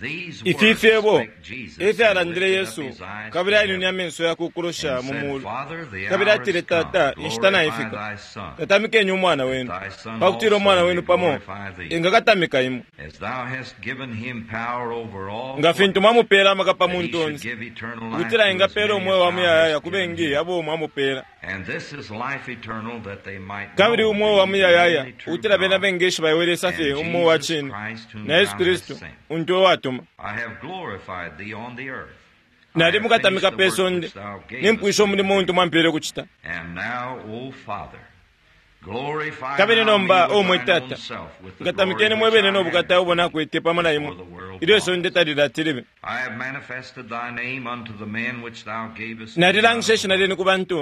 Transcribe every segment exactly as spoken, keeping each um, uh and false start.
These Ifi words fyebo spake Jesus, e and fyalandile lifted up Yesu his eyes kabili to ainwine heaven, amenso yakwe ukulosha and mu said, muulu Father, the kabili hour atile is come. tata inshita Glorify naifika thy Son, tatamikeni umwana wenu thy Son pakutila also umwana may wenu pamo glorify thee, engakatamika imwe as thou hast given him power over all nga flesh, fintu mwamupeela amaka pa that he muntu should onse give eternal life ukutila to as engapeela many umweo as wa thou muyayaya hast ku given bengi him. abo mwamupeela And this is life eternal, that they might kabili know umweo wa thee, the muyayaya only true ukutila bena God, bengeshiba iwe Lesa fye and umweo wa Jesus cine Christ whom na Yesu thou hast Kristu sent. untu we watuma I have glorified thee on the earth. I nali have finished mukatamika the pe work sonde which thou gavest nimpwisha me umulimo to untu do. mwampele kucita And now, O Father, glorify kabili thou me nomba o with mwe thine tata own self, with the glory nkatamikeni which mwebene I no had bukata with ubo thee nakwete pamo na before imwe the world ilyo was. isonde talilati libe I have manifested thy name unto the men which thou gavest me out of nalilangisha the ishina world. lyenu ku bantu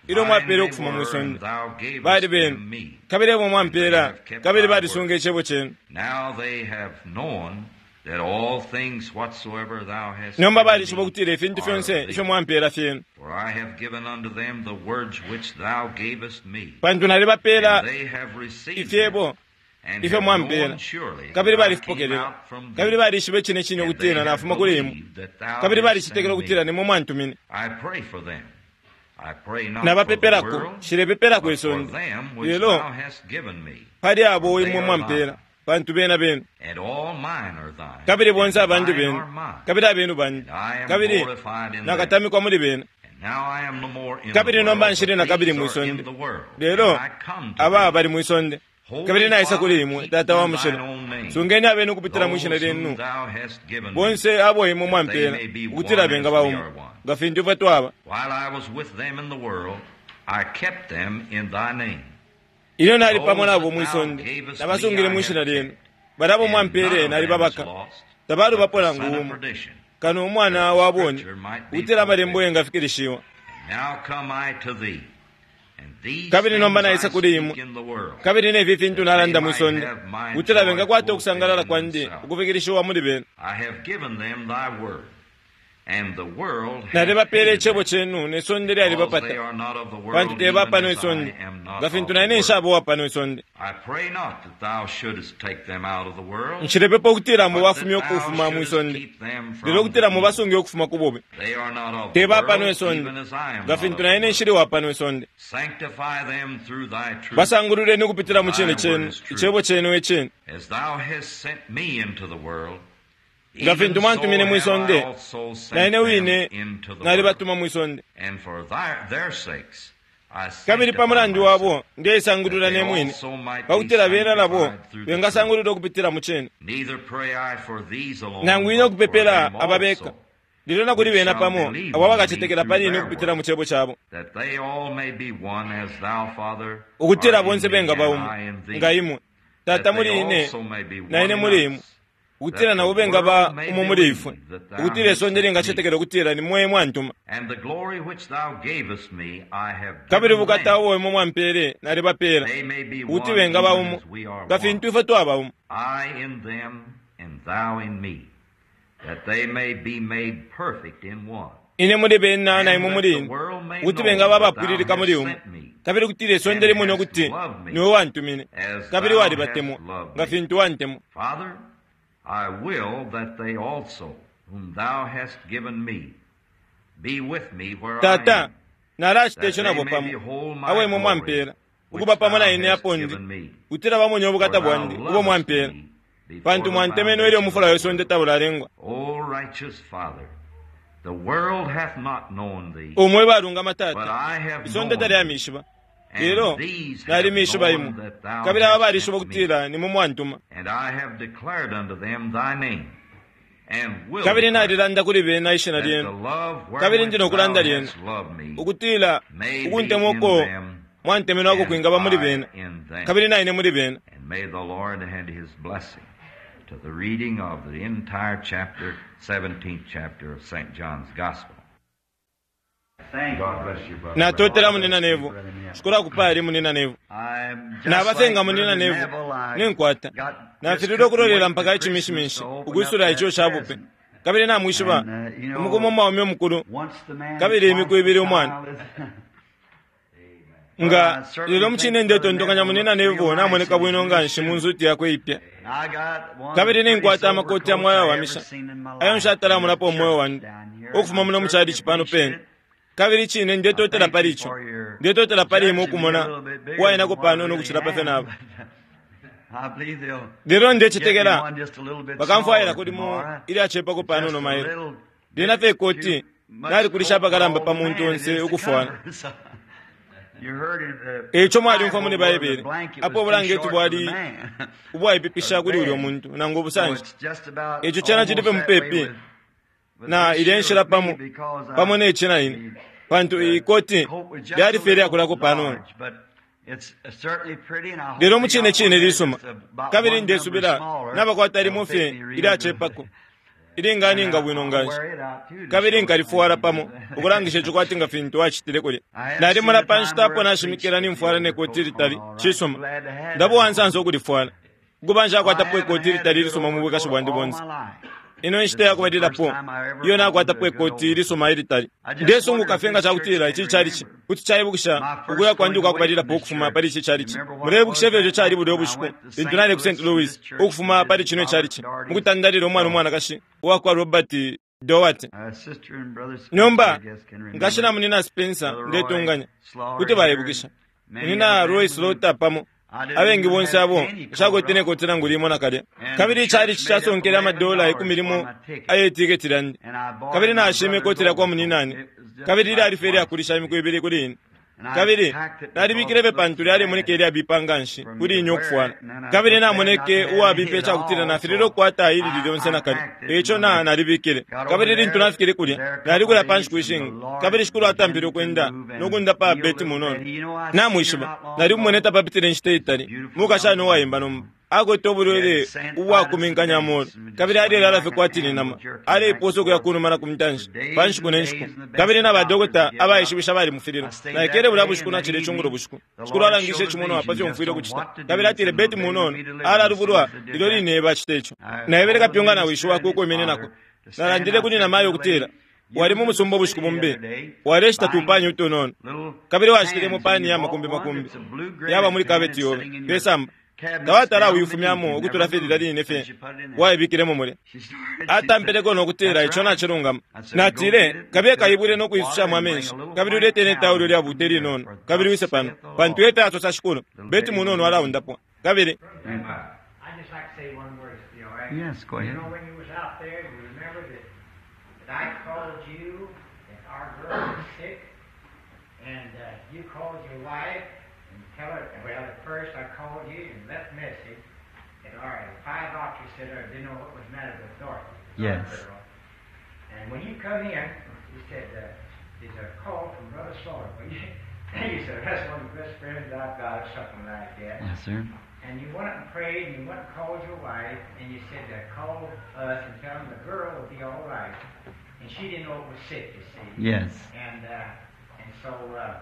ilyo Thine mwapeele they ukufuma mwi were, sonde and thou gavest bali benu them me, kabili ebo and they mwampeela have kept kabili thy word. balisunga icebo chenu Now they have known that all things whatsoever thou hast nomba given balishiba me ukutila ifintu are of fyonse thee. ifyo mwampeela fyenu For I have given unto them the words which thou gavest me, pantu nalibapeela and they have received them, ifyebo and ifyo have mwampeela known surely that kabili I came balifipokelela out from kabili thee, balishiba icine cine and they ukutila have nafuma kuli imwe believed that thou kabili didst balicetekela send ukutila me. nimwe mwantumine I pray for them. I pray not for the nabapepelako world, nshilepepelako but for isonde them which lelo thou hast given me, pali abo for they imwe are mwampeela thine, pantu bena benu and all mine are thine, kabili bonse and abandi thine benu are mine, kabili abenu bandi and I am kabili glorified in them. nakatamikwa muli bena And now I am no more in the kabili nomba world, nshili but na kabili these mwi are in sonde the world, and lelo I come to aba thee. bali mwi sonde Holy kabili naisa kuli Father, imwe keep tata wa in thine mushilo own name sungeni abenu ukupitila mwi shina those whom lyenu thou hast given me, bonse abo imwe that they mwampeela may be ukutila one benga as we baumo are one. nga fintu ifwe twaba While I was with them in the world, I kept them in thy name. ilyo nali pamo Those nabo that mwi thou sonde gavest me nabasungile I mwi shina have lyenu kept, balabo and none mwampeele of them is nalibabaka lost, tabalubapo but the nangu son of umo perdition, kano that umwana the wa boni scripture might be ukutila amalembo fulfilled. yengafikilishiwa And now come I to thee, and these kabili nomba things I naisa kuli speak imwe in the world, kabili nefi fintu that they nalanda mwi might sonde have my ukutila joy bengakwata ukusangalala fulfilled in kwandi themselves. ukufikilishiwa muli bena I have given them thy word, and the world hath nalibapeela hated icebo them, chenu ne sonde because they lyalibapata are not of the pantu world, teba even pano as I isonde am not nga of fintu the na ine world. nshaba uwa pano isonde I pray not that thou shouldest take them out of the world, nshilepepa ukutila but that mubafumye thou ukufuma mwi shouldest sonde keep them lelo from the ukutila evil. mubasunge ukufuma ku bubi They are not of the teba pano world, isonde even as I am nga not fintu of na the ine world. nshili wa pano isonde Sanctify them through thy truth. basangululeni ukupitila mu Thy cine word chenu is truth. icebo chenu ecine As thou hast sent me into the world, nga even fintu so mwantumine mwi have I sonde also na sent ine them wine into the world. nalibatuma mwi sonde And for thy, their sakes I kabili pa sanctify mulandu myself, wabo ndeisangulula that they ne mwine also might be pakutila bena nabo sanctified through the truth. bengasangulula ukupitila mu cine Neither pray I for these alone, nangu ine but for ukupepela them ababeka also, lelo na kuli which bena shall pamo believe abo on me abakacetekela through pali ine their ukupitila word, mu cebo cabo that they all may be one as thou, Father, ukutila art in bonse me benga and baumo I in nga thee, imwe that tata they muli ine also may be na one ine in muli imwe us, ukutila that the nabo bengaba world may umo muli ifwe believe that thou ukutila hast isonde sent me. lingacetekela ukutila ni mwe mwantuma And the glory which thou gavest me, I have kabili given bukata them, ubo imwe mwampeele nalibapeela they may be ukuti one bengaba even umo as we are nga one. fintu ifwe twaba umo I in them, and thou in me, that they may be made perfect in one. ine muli bena na And imwe that muli the ine world may ukuti know bengaba that thou abapwililika muli hast umo sent me, kabili kutila isonde and limone hast ukuti loved me niwe wantumine as kabili thou walibatemwa hast loved nga me. fintu wantemwa Father, I will that they also, whom thou hast given me, be with me where I tata am, nalacita that ico they nabo may pamo behold my abo imwe glory mwampeela which ukuba pamo thou na ine hast apo ndi given me. kutila bamonye For ubukata thou bwandi ubo lovest mwampeela me before pantu the mwantemenwe ilyo foundation umufula of the wesonde world. taulalengwa O righteous Father, the world hath not known thee, umwe balungama but tata I have isonde known thee, talyamishiba and lelo these have nalimishiba known imwe that thou kabili aba hast balishiba sent me. ukutila nimwe mwantuma And I have declared unto them thy name, and will kabili declare nalilanda kuli bena ishina that the lyenu love kabili ndi wherewith nokulanda thou lyenu hast loved me ukutila may be ukuntemwa in uko them, mwantemenwako and kwingaba muli I bena in them. kabili na ine muli bena And may the Lord add his blessing to the reading of the entire chapter, seventeenth chapter of Saint John's Gospel. Thank God bless you, brother. natotela munina nevo shikula kupali munina nevo I'm just nabasenga like munina Brother nevo Neville, I ninkwata got just nafilile couldn't ukulolela wait mpaka to icimishimishi Christmas to open up ukwisula that ico shabupe present. kabili namwishiba And, uh, you know, umukumu umwaume omukulu Once the man kabili imiku twice ibili the umwana child is- Nga lelo mucine ndetontonkanya munina Neville namoneka bwino nga nshi mu nzuti yakwe ipya. Kabili ninkwata amakoti amwe ayawamisha ayo nshatalamonapo umweo wandi ukufuma muno muchalichi pano pene. Kabili chine ndetotela pali icho, ndetotela pali imwe ukumona uwainako panono ukuchila pafye nabo. Lelo ndecetekela bakamfwayila kulimo ilyacepako panono mailo. Lyena fye ikoti nalikulisha apakalamba pa muntu onse ukufwala. Eico mwalyumfwa muli Baibele apo ubulangeti bwali ubwaipipisha kuli ulyo muntu nangu ubusanshi. Ico cena cili pe mupepi na ilya nshila pamo pamo neci na ine, pantu ikoti lyali fye lyakulako panono. Lelo mucine cine lisuma, kabili ndesubila nabakwata limo fye ilyacepako ilinganinga bwino nganshi, kabili nkalifwala pamo ukulangisha ico kwati nga fintu acitile kulya. Nalimona pa nshita apo nashimikila nimfwala ne koti litali cisuma, ndaba uwansansa ukulifwala ukuba nshakwatapo ikoti litali ilisuma mu bwikashi bwandi bonse. Ino nshita yakubalilapo iyo nakwatapo ikoti ilisuma ilitali. Ndesunguka fye nga cakutila ici chalichi kuti caibukisha ukuya kwandi ukwakubalilapo ukufuma pali ici chalichi. Muleibukisha ifyo ico cali bulya ubushiku lintu nali ku Saint Louis ukufuma pali cino chalichi mukutandalila umwana umwanakashi uwakwa Robert Doherty. Nomba nkashi na munina Spencer ndetunganya kuti baibukisha munina Roy Slaughter pamo abengi bonse abo nshakwete nekoti nangu limo nakalya. Kabili ichalichi casonkele amadola ikumi limo ayetiketi lyandi, kabili nashime ikoti lyakwa muninani, kabili lyali fye lyakulisha imiku ibili kuli ine. Kabili nalibikile fye pantu lyalemoneka ilyabipa nganshi kuli ine ukufwala, kabili namoneke uwabipa icakutila nafilile ukukwata ilili lyonse nakalya. Eico na nalibikile. Kabili lintu nafikile kulya nalikulya pa nshiku ishingi, kabili shikulu atampile ukwenda nokundapa Beti munono. Namwishiba nalikumwene tapapitile inshita itali mukashana uwayimba nomba akwete ubulwele ubwakuminkanya amolu, kabili alelala fye kwati ni nama, aleiposa ukuya kunuma na kumtanshi pa nshiku ne nshiku. Kabili na badokota abaishibisha balimufilile. Naikele bulya bushiku nachile icungulo bushiku, shikulu alangishe icimonwa pa fyo mfwile ukucita. Kabili atile Beti munono alalubulwa ilyo line bacita ico. Naebele kapyunga na wishi wakwe ukwiminинako. Nalandile kuli namayo ukutila wali mu musumba ubushiku bumbi waleshita tupani utunono, kabili washitilemo pani ya makumbi makumbi yaba muli kabeti yobe pesamba tawatala uyufumyamo ukutula fye lilya line fye waibikilemo mulya. Atampeleko nokutila ico nacilungama. Natile kabiye kaibwile nokuisushamo amenshi, kabili ulete netaulo lyabuta ilinono, kabili wise pano pantu efyo asosa shikulu Beti munono alaundapwa. Kabili Yes, go ahead. You know, when you was out there, you remember that, that I called you, that our girl was sick, and uh, you called your wife and tell her, well, at first I called you and left message that our five doctors said I didn't know what was the matter with Dorothy. Yes. Girl. And when you come in, you said, uh, there's a call from Brother Slaughter. Well, you, you said, that's one of the best friends I've got, or something like that. Yes, sir. And you went up and prayed, and you went and called your wife, and you said to call us and tell them the girl will be all right. And she didn't know it was sick, you see. Yes. And uh, and so uh,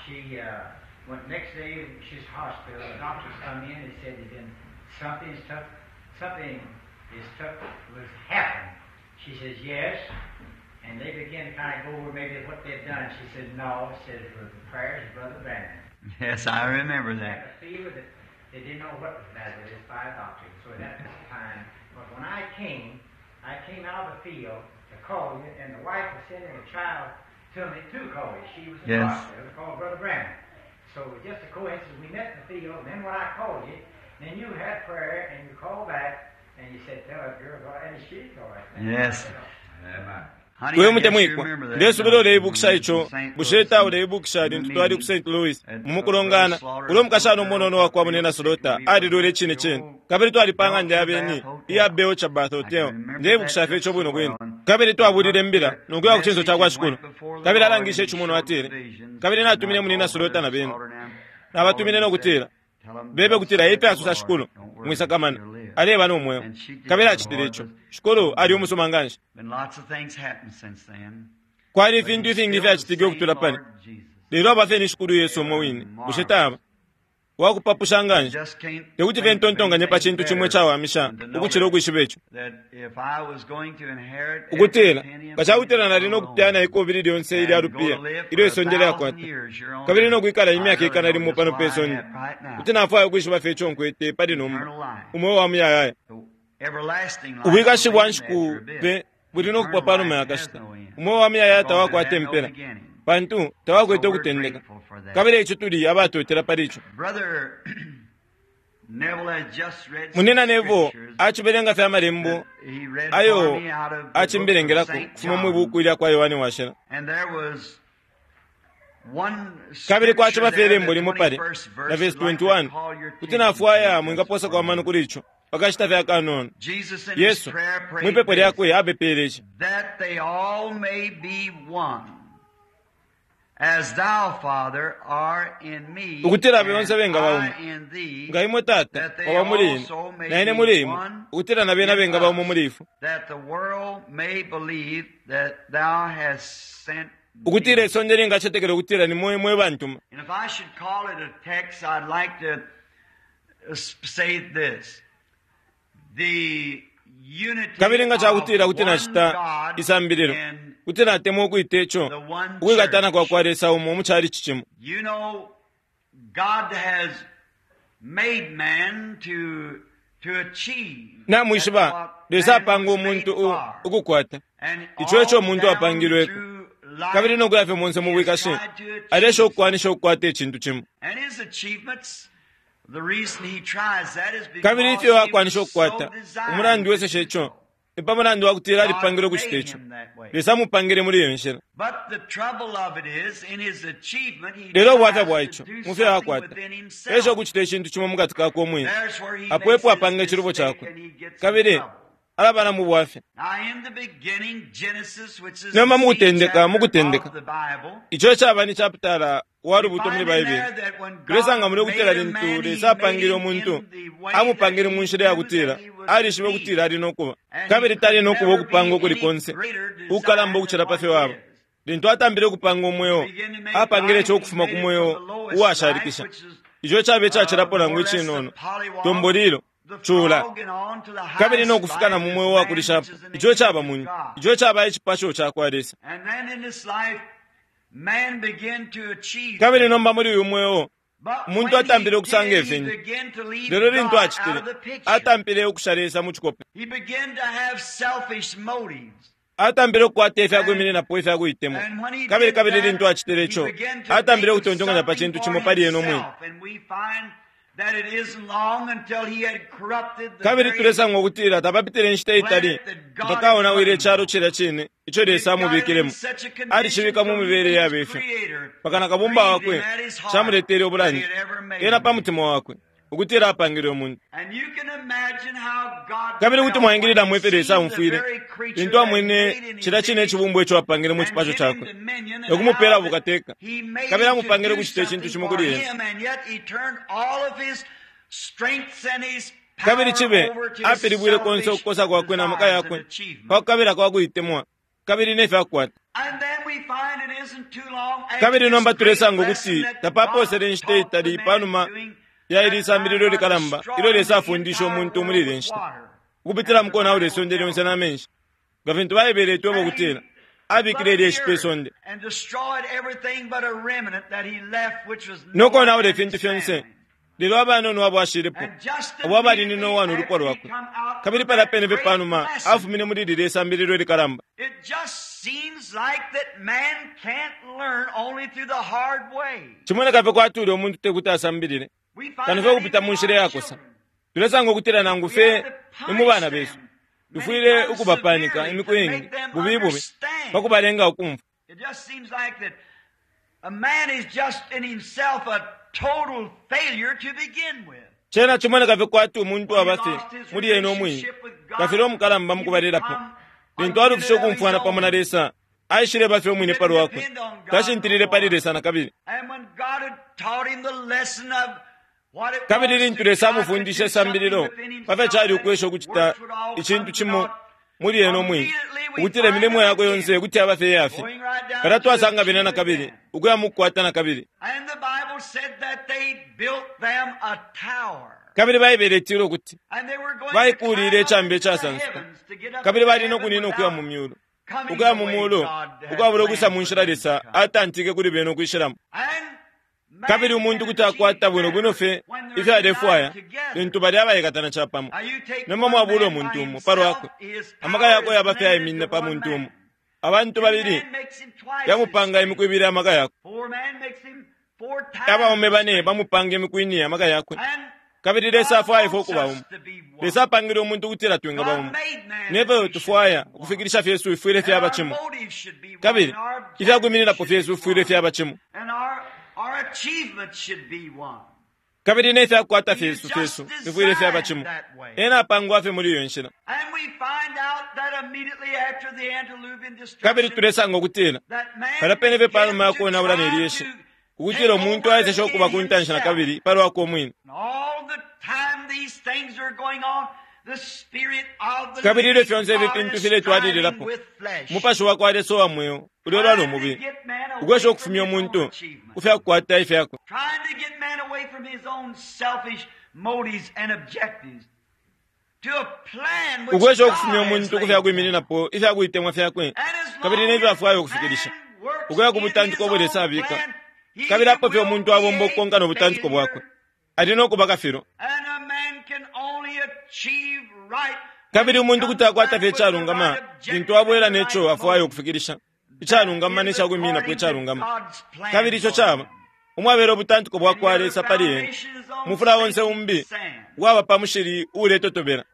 she uh, went next day. She's hospital. The doctors come in and said that then something's tough. Something is tough was happened. She says yes, and they began to kind of go over maybe what they'd done. She said no. She said it was the prayers of Brother Branham. Yes, I remember Had that. a fever that they didn't know what was the matter with this five doctors. So at that time, but when I came, I came out of the field to call you, and the wife was sending a child to me to call you. She was in the Yes. hospital to call Brother Branham. So it was just a coincidence. We met in the field, and then when I called you, then you had prayer, and you called back, and you said, tell that girl, and she's all right. Yes. Amen. Honey, we I guess you mutemwikwa remember that. ndesubila uleibukisha ico Saint bushe Louis. ta uleibukisha lintu twali ku Saint Louis mumukulongana ulo mukashana umunono wakwa munina Slaughter alilwele icine cine, kabili twalipanga ndi abeni iya Belcher Bath Hotel. Ndeibukisha fye ico bwino bwino. Kabili twabulile mbila nokuya ku cinso cakwa shikulu, kabili alangishe icimonwa atile, kabili natumine munina Slaughter na bena nabatumine nokutila bebe kutila efyo asosa shikulu mwisakamana aleba nomweo. Kabili acitile ico. Shikulu ali umusuma nganshi. Been lots of things happened since then. Kwali ifintu ifingi ifyacitike ukutula pali Lord Jesus. lelo aba fye ni shikulu Yesu umwe wine. Bushe taba Wakupapusha nganshi. Tekuti fye ntontonkanye pa cintu cimo icawamisha ukucila ukwishiba ico. Ukutila nga cakutila nali no kupyana ikobili lyonse ilya lupiya ilyo isonde lyakwata, kabili no kwikala imyaka ikana limo pano pe sonde, kuti nafwaya ukwishiba fye ico nkwete pali nomba, umweo wa muyayaya. Ubwikashi bwa nshiku pe buli no kupwa panuma ya kashita. Umweo wa muyayaya tawakwata impela, pantu tawakwete ukutendeka. Kabili ico tuli abatotela pali ico. Munina Neville acibelenga fye amalembo ayo acimbelengelako kufuma mwi buku ilya kwa Yohane Washila. Kabili kwaciba fye ilembo limo pale na verse twenty-one, kuti nafwaya mwingaposako amano kuli ico pakashita fye akanono. Yesu mwipepo lyakwe apepele ici: ukutila bonse bengaba umo, nga imwe Tata waba muli ine na ine muli imwe, ukutila na bena bengaba umo muli ifwe, ukutila isonde lingacetekela ukutila ni mwe mwe bantuma. Kabili nga cakutila kuti nacita isambililo, kuti natemwa ukwita ico ukwikatana kwa kwa Lesa umo mu chalichi cimo. Namwishiba, Lesa apanga umuntu ukukwata ico eco umuntu apangilweko, kabili nokuya fye monse mu bwikashi alesha ukukwanisha ukukwata icintu cimo. Kabili ifyo akwanisha ukukwata umulandu weseshe ico ni pa mulandu wa kutila alipangile ukucita ico. Lesa amupangile muli iyo nshila. Lelo ubwafya bwa ico mufyo akwata esha ukucita icintu cimo mukati kakwe umwine, apo epo apanga icilubo cakwe, kabili alaba na mu bwafya. Nomba mukutendeka mukutendeka ico caba ni chapitala wa lubuto muli Baibele, tulesanga muli ukutila lintu Lesa apangile umuntu, amupangile mu nshila ya kutila alishibe ukutila ali nokuba, kabili tali nokuba ukupanga ukuli konse ukukalamba ukucila pa fyo waba. Lintu atambile ukupanga umweo, apangile ico ukufuma ku mweo uwashalikisha, ico caba icacilapo nangu icinono, tombolilo cula, kabili nokufika na mu mweo wakulishapo, ico caba muntu, ico caba icipasho cakwa Lesa. Kabili nomba muli uyu mweo umuntu atambile ukusanga ifintu, lelo lintu acitile atampile ukusha Lesa mu cikope, atambile ukukwata ifyakwimininapo ifyakuitemwa. Kabili kabili lintu acitile ico, atambile ukutontonkanya pa cintu cimo pali ena umwine. Kabili tulesanga ukutila tapapitile inshita itali mpaka aonawile icalo cilya cine ico Lesa amubikilemo. Alicibika mu mibele yaba ifyo mpaka na kabumba wakwe camuletele ubulanda ena pa mutima wakwe ukutila apangile umuntu. Kabili kuti mwaingililamo ifyo Lesa amufwile lintu amwene cilya cine icibumbwa ico apangile mu cipasho cakwe nokumupela bukateka, kabili amupangile ukucita icintu cimo kuli ena. Kabili cibe apilibwile konse ukukosa kwakwe na maka yakwe pa kukabila kwa kuitemwa kabili nefyakukwata. Kabili nomba tulesanga ukuti tapaposele inshita itali panuma ya ili isambililo likalamba ilyo Lesa afundisha umuntu muli ile nshita ukupitila mukonaula isonde lyonse na menshi, nga fintu Baibele itweba ukutila abikile ilyeshi pe sonde nokonaula ifintu fyonse, lelo abanono abo ashilepo abo abali ni Noa no lupwa lwakwe. Kabili palya pene fye panuma afumine muli lilya isambililo likalamba. Cimoneka fye kwati ulya umuntu tekuti asambilile kano fye ukupita mu nshila iyakosa. Tulesanga ukutila nangu fye ni mu bana besu tufwile ukubapanika imiku iingi bubi bubi pa kubalenga ukumfwa. Cena cimoneka fye kwati umuntu aba fye muli ena umwine kafile umukalamba mukubalilapo. Lintu alufishe ukumfwana pamo na Lesa, aishileba fye umwine palwakwe, tashintilile pali Lesa na kabili. Kabili lintu Lesa amufundishe isambililo pafyo cali ukwesha ukucita icintu cimo muli ena umwine, ukutila imilimo yakwe yonse kuti yaba fye iyafye, palya twasanga bena na kabili ukuya mukukwata na kabili. Kabili Baibele itila ukuti baikuulile icambi icasansuka, kabili bali no kunina ukuya mu myulu, ukuya mu mulu ukwabula ukwisa mu nshila Lesa atantike kuli bena ukwishilamo. Kabili umuntu kuti akwata bwino bwino fye ifyo alefwaya lintu bali abaikatana capamo. Nomba mwabula umuntu umo palwakwe, amaka yakwe yaba fye ayiminina pa muntu umo. Abantu babili yamupanga imiku ibili amaka yakwe, abaume bane bamupanga imiku ine amaka yakwe. Kabili Lesa afwaya ifwe ukuba umo. Lesa apangile umuntu ukutila twingaba umo. Nefyo tufwaya ukufikilisha fyesu ifwile fyaba cimo, kabili ifyakuimininapo fyesu ifwile fyaba cimo, kabili nefyakukwata fyesu fyesu ifwile fyaba cimo. Ena apangwa fye muli iyo nshila. Kabili tulesanga ukutila palya pene fye panuma yakonaula ne lyeshi, ukutila umuntu aesesha ukuba ku ntanshi na kabili palwakwe umwine. Kabili ilyo fyonse ifi fintu filetwalililapo, umupashi wa kwa Lesa uwa mweo ulelwa no mubili, ukwesha ukufumya umuntu ku fyakukwata ifyakwe, ukwesha ukufumya umuntu ku fyakuimininapo ifyakuitemwa fyakwe kabili nefyo afwaya ukufikilisha, ukuya ku butantiko ubo Lesa abika. Kabili apo fye umuntu abomba ukukonka no butantiko bwakwe, ali no kuba kafilo. Kabili umuntu kuti akwata fye icalungama lintu abwela neco afwaya ukufikilisha, icalungama ne cakwimininapo icalungama. Kabili ico caba umwabela ubutantiko bwa kwa Lesa pali ena. Umufula onse umbi waba pa mushili uuletotobela.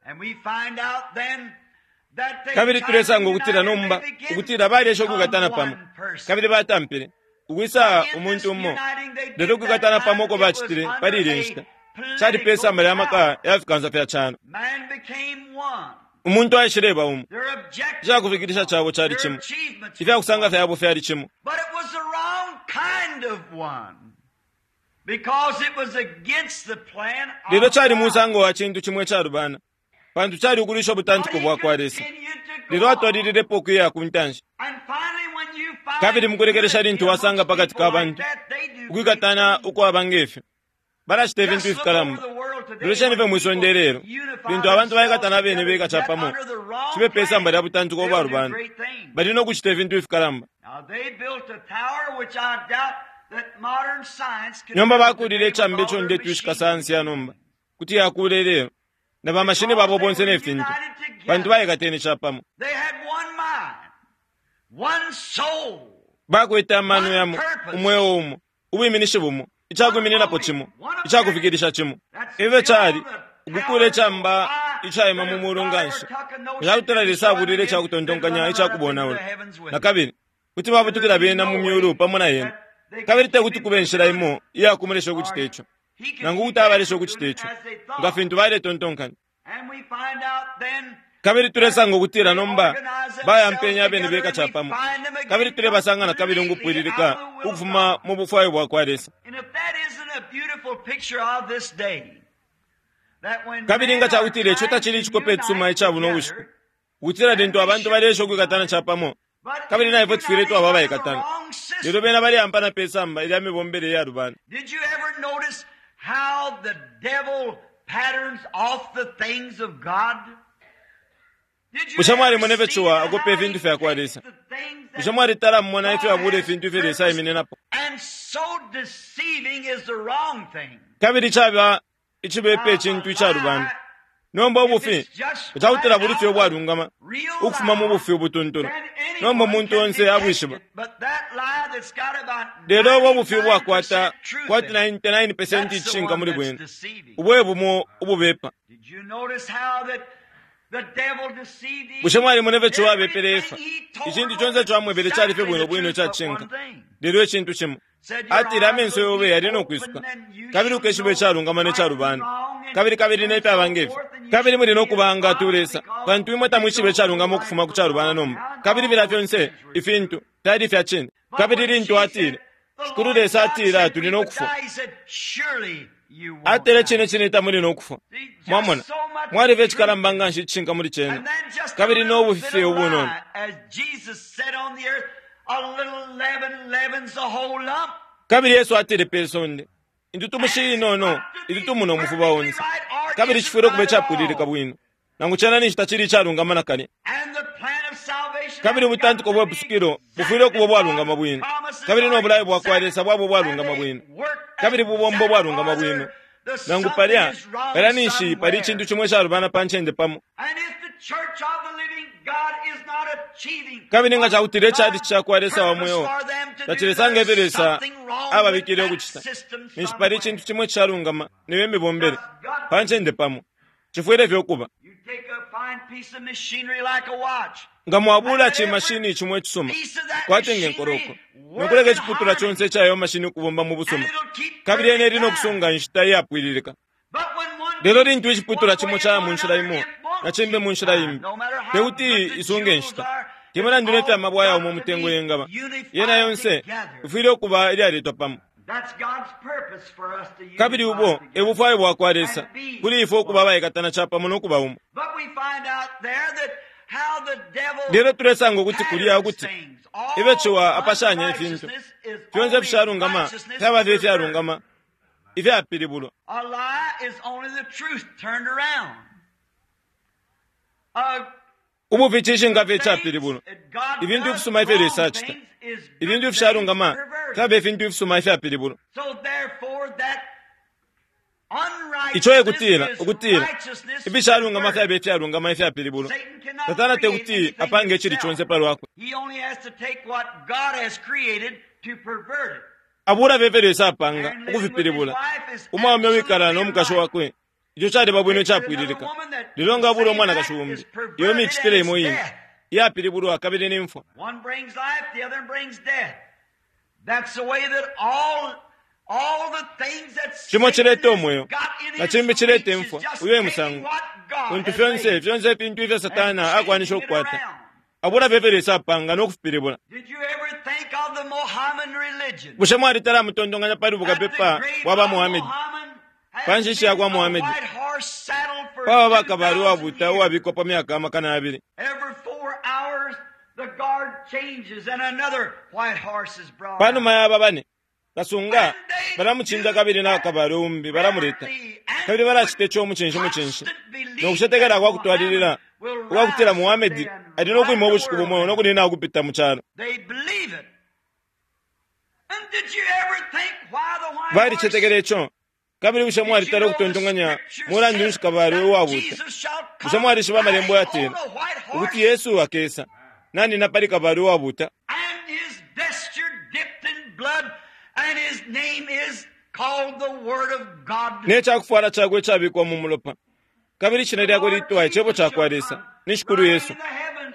Kabili tulesanga ukutila nomba ukutila balesha ukwikatana pamo, kabili batampile ukwisa umuntu umo. Lelo ukwikatana pamo uko bacitile pali ilya nshita cali pe samba lya maka ya fikansa fya calo. Umuntu aishileba umo, icakufikilisha cabo cali cimo, ifyakusanga fyabo fyali cimo. Lelo cali musango wa cintu cimo icalubana, pantu cali ukulwisha ubutantiko bwa kwa Lesa. Lelo atwalililepo ukuya ku ntanshi. Kabili mukulekelesha lintu wasanga pakati ka bantu ukwikatana ukwaba ngefyo, balacita ifintu ifikalamba. Lolesheni fye mwisonde lelo lintu abantu baikatana abene beka capamo, cibe pe samba lya butantiko ubwalubana, bali no kucita ifintu ifikalamba. Nomba bakulile icambi ico ndetwishika sayansi ya nomba kuti yakula ilelo, na bamashini babo bonse ne fintu, pantu baikatene capamo. Bakwete amano yamo, umweo umo, ubwiminishi bumo, icakwimininapo cimo, icakufikilisha cimo. Ifyo cali ukukula icamba icaima mu mulu nganshi, icakutala Lesa abulile icakutontonkanya icakubonaula. Na kabili kuti babutukila bena mu myulu pamo na yena. Kabili tekuti kube inshila imo iyakumulesha ukucita ico, nangu kuti abalesha ukucita ico nga fintu baletontonkanya. Kabili tulesanga ukutila nomba bayampenya abene beka capamo, kabili tulebasanga na kabili ukupwililika ukufuma mu bufwayo bwa kwa Lesa. Kabili nga cakutila ico tacili icikope icisuma ica buno bushiku, ukutila lintu abantu balesha ukwikatana capamo, kabili na ifwe tufwile twaba abaikatana, lelo bena baleampana pe samba ilya mibombele iyalubana. Bushe mwalimona ifyo ciwa akopa ifintu fya kwa Lesa? Bushe mwalitala mumona ifyo abula ifintu ifyo Lesa aimininapo? Kabili caba icibepa icintu icalubana. Nomba ubufi ecakutila buli fye ubwalungama ukufuma mu bufi ubutuntulu. Nomba umuntu onse abwishiba. Lelo ubo bufi ubwakwata kwati ninety-nine percent icishinka muli bwene, ubwe bumo ububepa. Bushe mwalimona ifyo ciwa abepele Efa? Icintu conse ico amwebele cali fye bwino bwino icacishinka, lelo icintu cimo atile amenso yobe yali no kwisuka, kabili ukeshiba icalungama ne calubana, kabili kabili nefyaba ngefyo, kabili muli no kubanga tulesa, pantu imwe tamwishiba icalungama ukufuma ku calubana nomba. Kabili filya fyonse ifintu fyali fya cine. Kabili lintu atile Shikulu Lesa atile tuli no kufwa, atile cine cine tamuli no kufwa. Mwamona, mwaliba icikalamba nganshi icishinka muli cena, kabili no bufi ubunono. Kabili Yesu atile pe sonde, Intutumushi inono itutumuna umufuba onse, kabili cifwile ukuba icapwililika bwino, nangu cena ninshi tacili icalungama nakalya. Kabili ubutantiko bwe pusukilo bufwile ukuba ubwalungama bwino, kabili no bulayo bwa kwa Lesa bwaba ubwalungama bwino, kabili bubomba ubwalungama bwino. Nangu palya palya ninshi pali icintu cimwe icalubana pa ncende pamo. Kabili nga cakutila icalici cakwa Lesa wa mweo tacilesanga ifyo Lesa ababikile ukucita, ninshi pali icintu cimwe cishalungama niyo imibombele pa ncende pamo. Cifwile fye ukuba. Nga mwabula cimashini cimwe icisuma kwati nge nkoroko, nokuleka iciputula conse ica yo mashini ukubomba mu busuma, kabili yene ili nokusunga inshita iyapwililika. Lelo lintu iciputula cimo caya mu nshila imo na cimbi mu nshila imbi, tekuti isunge inshita. Te mulandu ne fya mabwe ayauma umutengo yengaba, yena yonse ifwile ukuba ilyaletwa pamo. Kabili ubo e bufwayo bwa kwa Lesa kuli ifwe ukuba abaikatana capamo no kuba umo. Lelo tulesanga ukuti kulya ukuti ifyo ciwa apashanya ifintu fyonse ifishalungama fyaba fye ifyalungama ifyapilibulwa. Ubufi cishinka fye icapilibulwa. Ifintu ifisuma ifyo Lesa acita, ifintu ifishalungama fyaba ifintu ifisuma ifyapilibulwa. Ico e kutila ukutila ifishalungama fyaba ifyalungama ifyapilibulwa. Satana tekuti apange icili conse palwakwe. Abula fye ifyo Lesa apanga ukufipilibula. Umwaume wikala no mukashi wakwe, ico caliba bwino icapwililika. Lelo nga abula umwanakashi umbi, iyo micitile imo ine iyapilibulwa kabili ni mfwa. Cimo cileta umweo na cimbi cileta imfwa. Uyo e musango untu fyonse fyonse ifintu ifyo Satana akwanisha ukukwata, abula fye ifyo Lesa apanga no kufipilibula. Bushe mwalitala mutontonkanya pali bukapepa bwa ba Muhamedi, pa nshishi ya kwa Muhamedi, paba bakabali uwabuta uwabikwa pa myaka amakana abili? Panuma ya aba bane, kasunga balamucinda kabili na kabali umbi balamuleta, kabili balacita ico mucinshi mucinshi no kucetekela kwa kutwalilila ukwakutila Muhamedi ali no kwima ubushiku bumo no kunina ukupita mu calo. Balicetekela ico. Kabili bushe mwalitala ukutontonkanya mulandu nshi kabali uwabuta? Bushe mwalishiba amalembo yatila ukuti Yesu akesa nanina pali kabali uwabuta? Ne cakufwala cakwe icabikwa mu mulopa, kabili ishina lyakwe litwa Icebo cakwa Lesa ni Shikulu Yesu.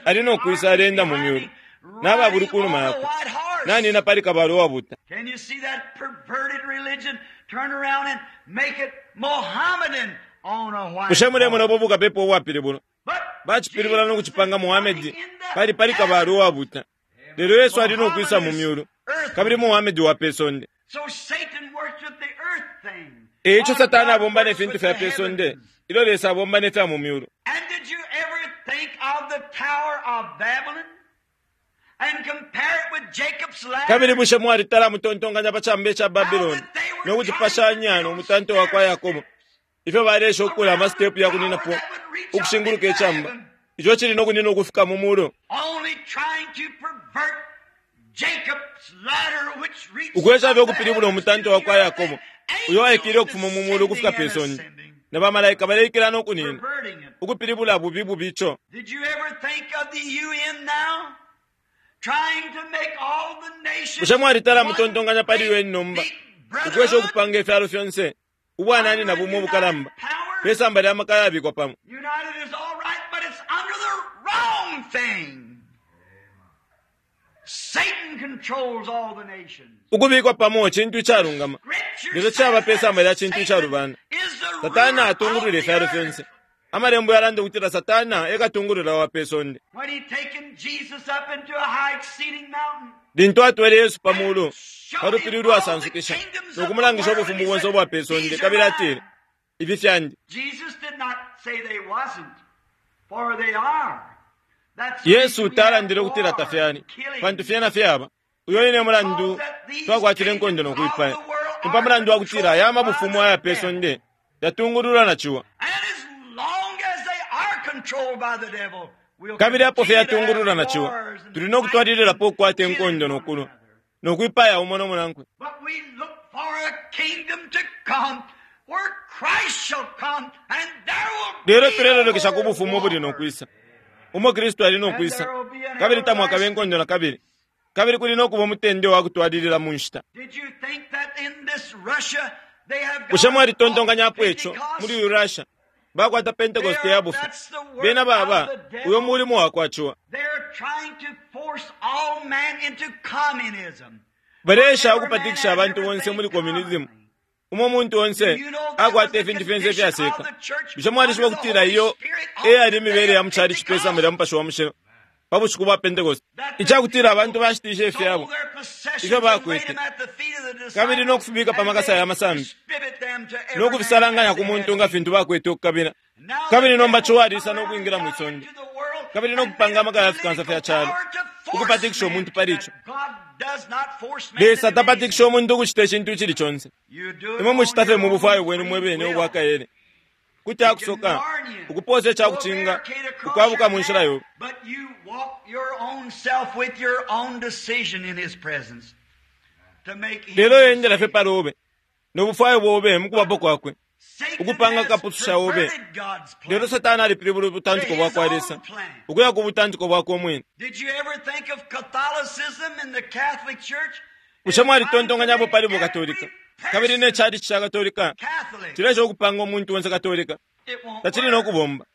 Ali no kwisa alenda mu myulu n'ababuli ku numa yakwe, nanina pali kabali uwabuta. Bushe mulemona ubo bukapepa ubwapilibulwa? Bacipilibula no kucipanga Muhamedi pali pali kabali uwabuta. Lelo Yesu ali no kwisa mu myulu, kabili Muhamedi wa pe sonde. Eico Satana abomba ne fintu fya pe sonde, ilyo Lesa abomba ne fya mu myulu. Kabili bushe mwalitala mutontonkanya pa camba ca Babiloni no kucipashanya no mutanto wa kwa Yakobo, ifyo balesha ukukula amasitepu ya kuninapo ukushinguluka icamba, ico cili no kunina ukufika mu mulu? Ukwesha fye ukupilibula umutanto wa kwa Yakobo uyo waikile ukufuma mu mulu ukufika pe sonde, na bamalaika baleikila no kunina, ukupilibula bubi bubi ico. Bushe mwalitala mutontonkanya pali U N nomba, ukwesha ukupanga ifyalo fyonse ubwanani na bumo ubukalamba pe samba lya maka yabikwa pamo? Ukubikwa pamo cintu icalungama, lelo caba pe samba lya cintu icalubana. Satana atungulula ifyalo fyonse. Amalembo yalanda ukutila Satana ekatungulula wa pe sonde. Lintu atwele Yesu pa mulu pa lupili ulwasansukisha no kumulangisha ubufumu bonse ubwa pe sonde, kabili atile, ifi fyandi. Yesu talandile ukutila tafyali, pantu fyena fyaba. Uyo ine mulandu twakwatile inkondo no kuipaya, Ni pa mulandu wa kutila aya mabufumu aya pe sonde yatungululwa na ciwa. And as long as they are controlled by the devil, we'll Kabili apo fye continue to yatungululwa have na ciwa, wars and tuli no kutwalililapo ukukwata inkondo no kulwa, no kwipaya umo no munankwe. But we look for a kingdom to come where Christ shall come and there will be Lelo tulelolekesha ku no bufumu ubuli no war. kwisa, umo Kristu ali no kwisa, kabili tamwakabe inkondo na kabili, kabili kuli no kuba umutende wa kutwalilila mu nshita. Did you think that in this Russia they have got Bushe mwalitontonkanyapo ico Pentecost? muli uyu Russia bakwata Pentecost ya bufi? Bena baba uyo mulimo wakwa ciwa. They're trying to force all man into communism. Baleesha ukupatikisha abantu bonse muli communism, umo muntu onse akwata ifintu fyonse ifyaseka. Bushe mwalishiba kutila iyo eyali imibele ya muchali cipesa mulya Mupashi wa Mushilo pa bushiku bwa Pentecost, icakutila abantu bashitishe ifyabo ifyo bakwete, kabili no kufibika pa makasa ya masambi, no kufisalanganya ku muntu nga fintu bakwete ukukabila. Kabili nomba ciwa alisa no kwingila mwi sonde, kabili no kupanga amaka ya fikansa fya calo, ukupatikisha umuntu pali ico. Lesa tapatikisha umuntu ukucita icintu icili conse. Imwe mucita fye mu bufwayo bwenu mwe bene ubwa kaele. Kuti akusoka ukuposa icakucinga ukwabuka mu nshila yobe. But you walk your own self with your own decision in his presence to make him Lelo yendela fye palobe no bufwayo bobe mukubapo kwakwe, Satan ukupanga has kapususha obe. perverted God's plan. Lelo Satani alipilibula ubutantiko bwa kwa Lesa ukuya ku butantiko bwakwe umwine. Did you ever think of Catholicism in the Catholic Church? Bushe mwalitontonkanyapo pali bukatolika kabili ne chalichi cha Katolika Catholic. cilesha ukupanga umuntu onse Katolika? It won't Tacili work. no kubomba.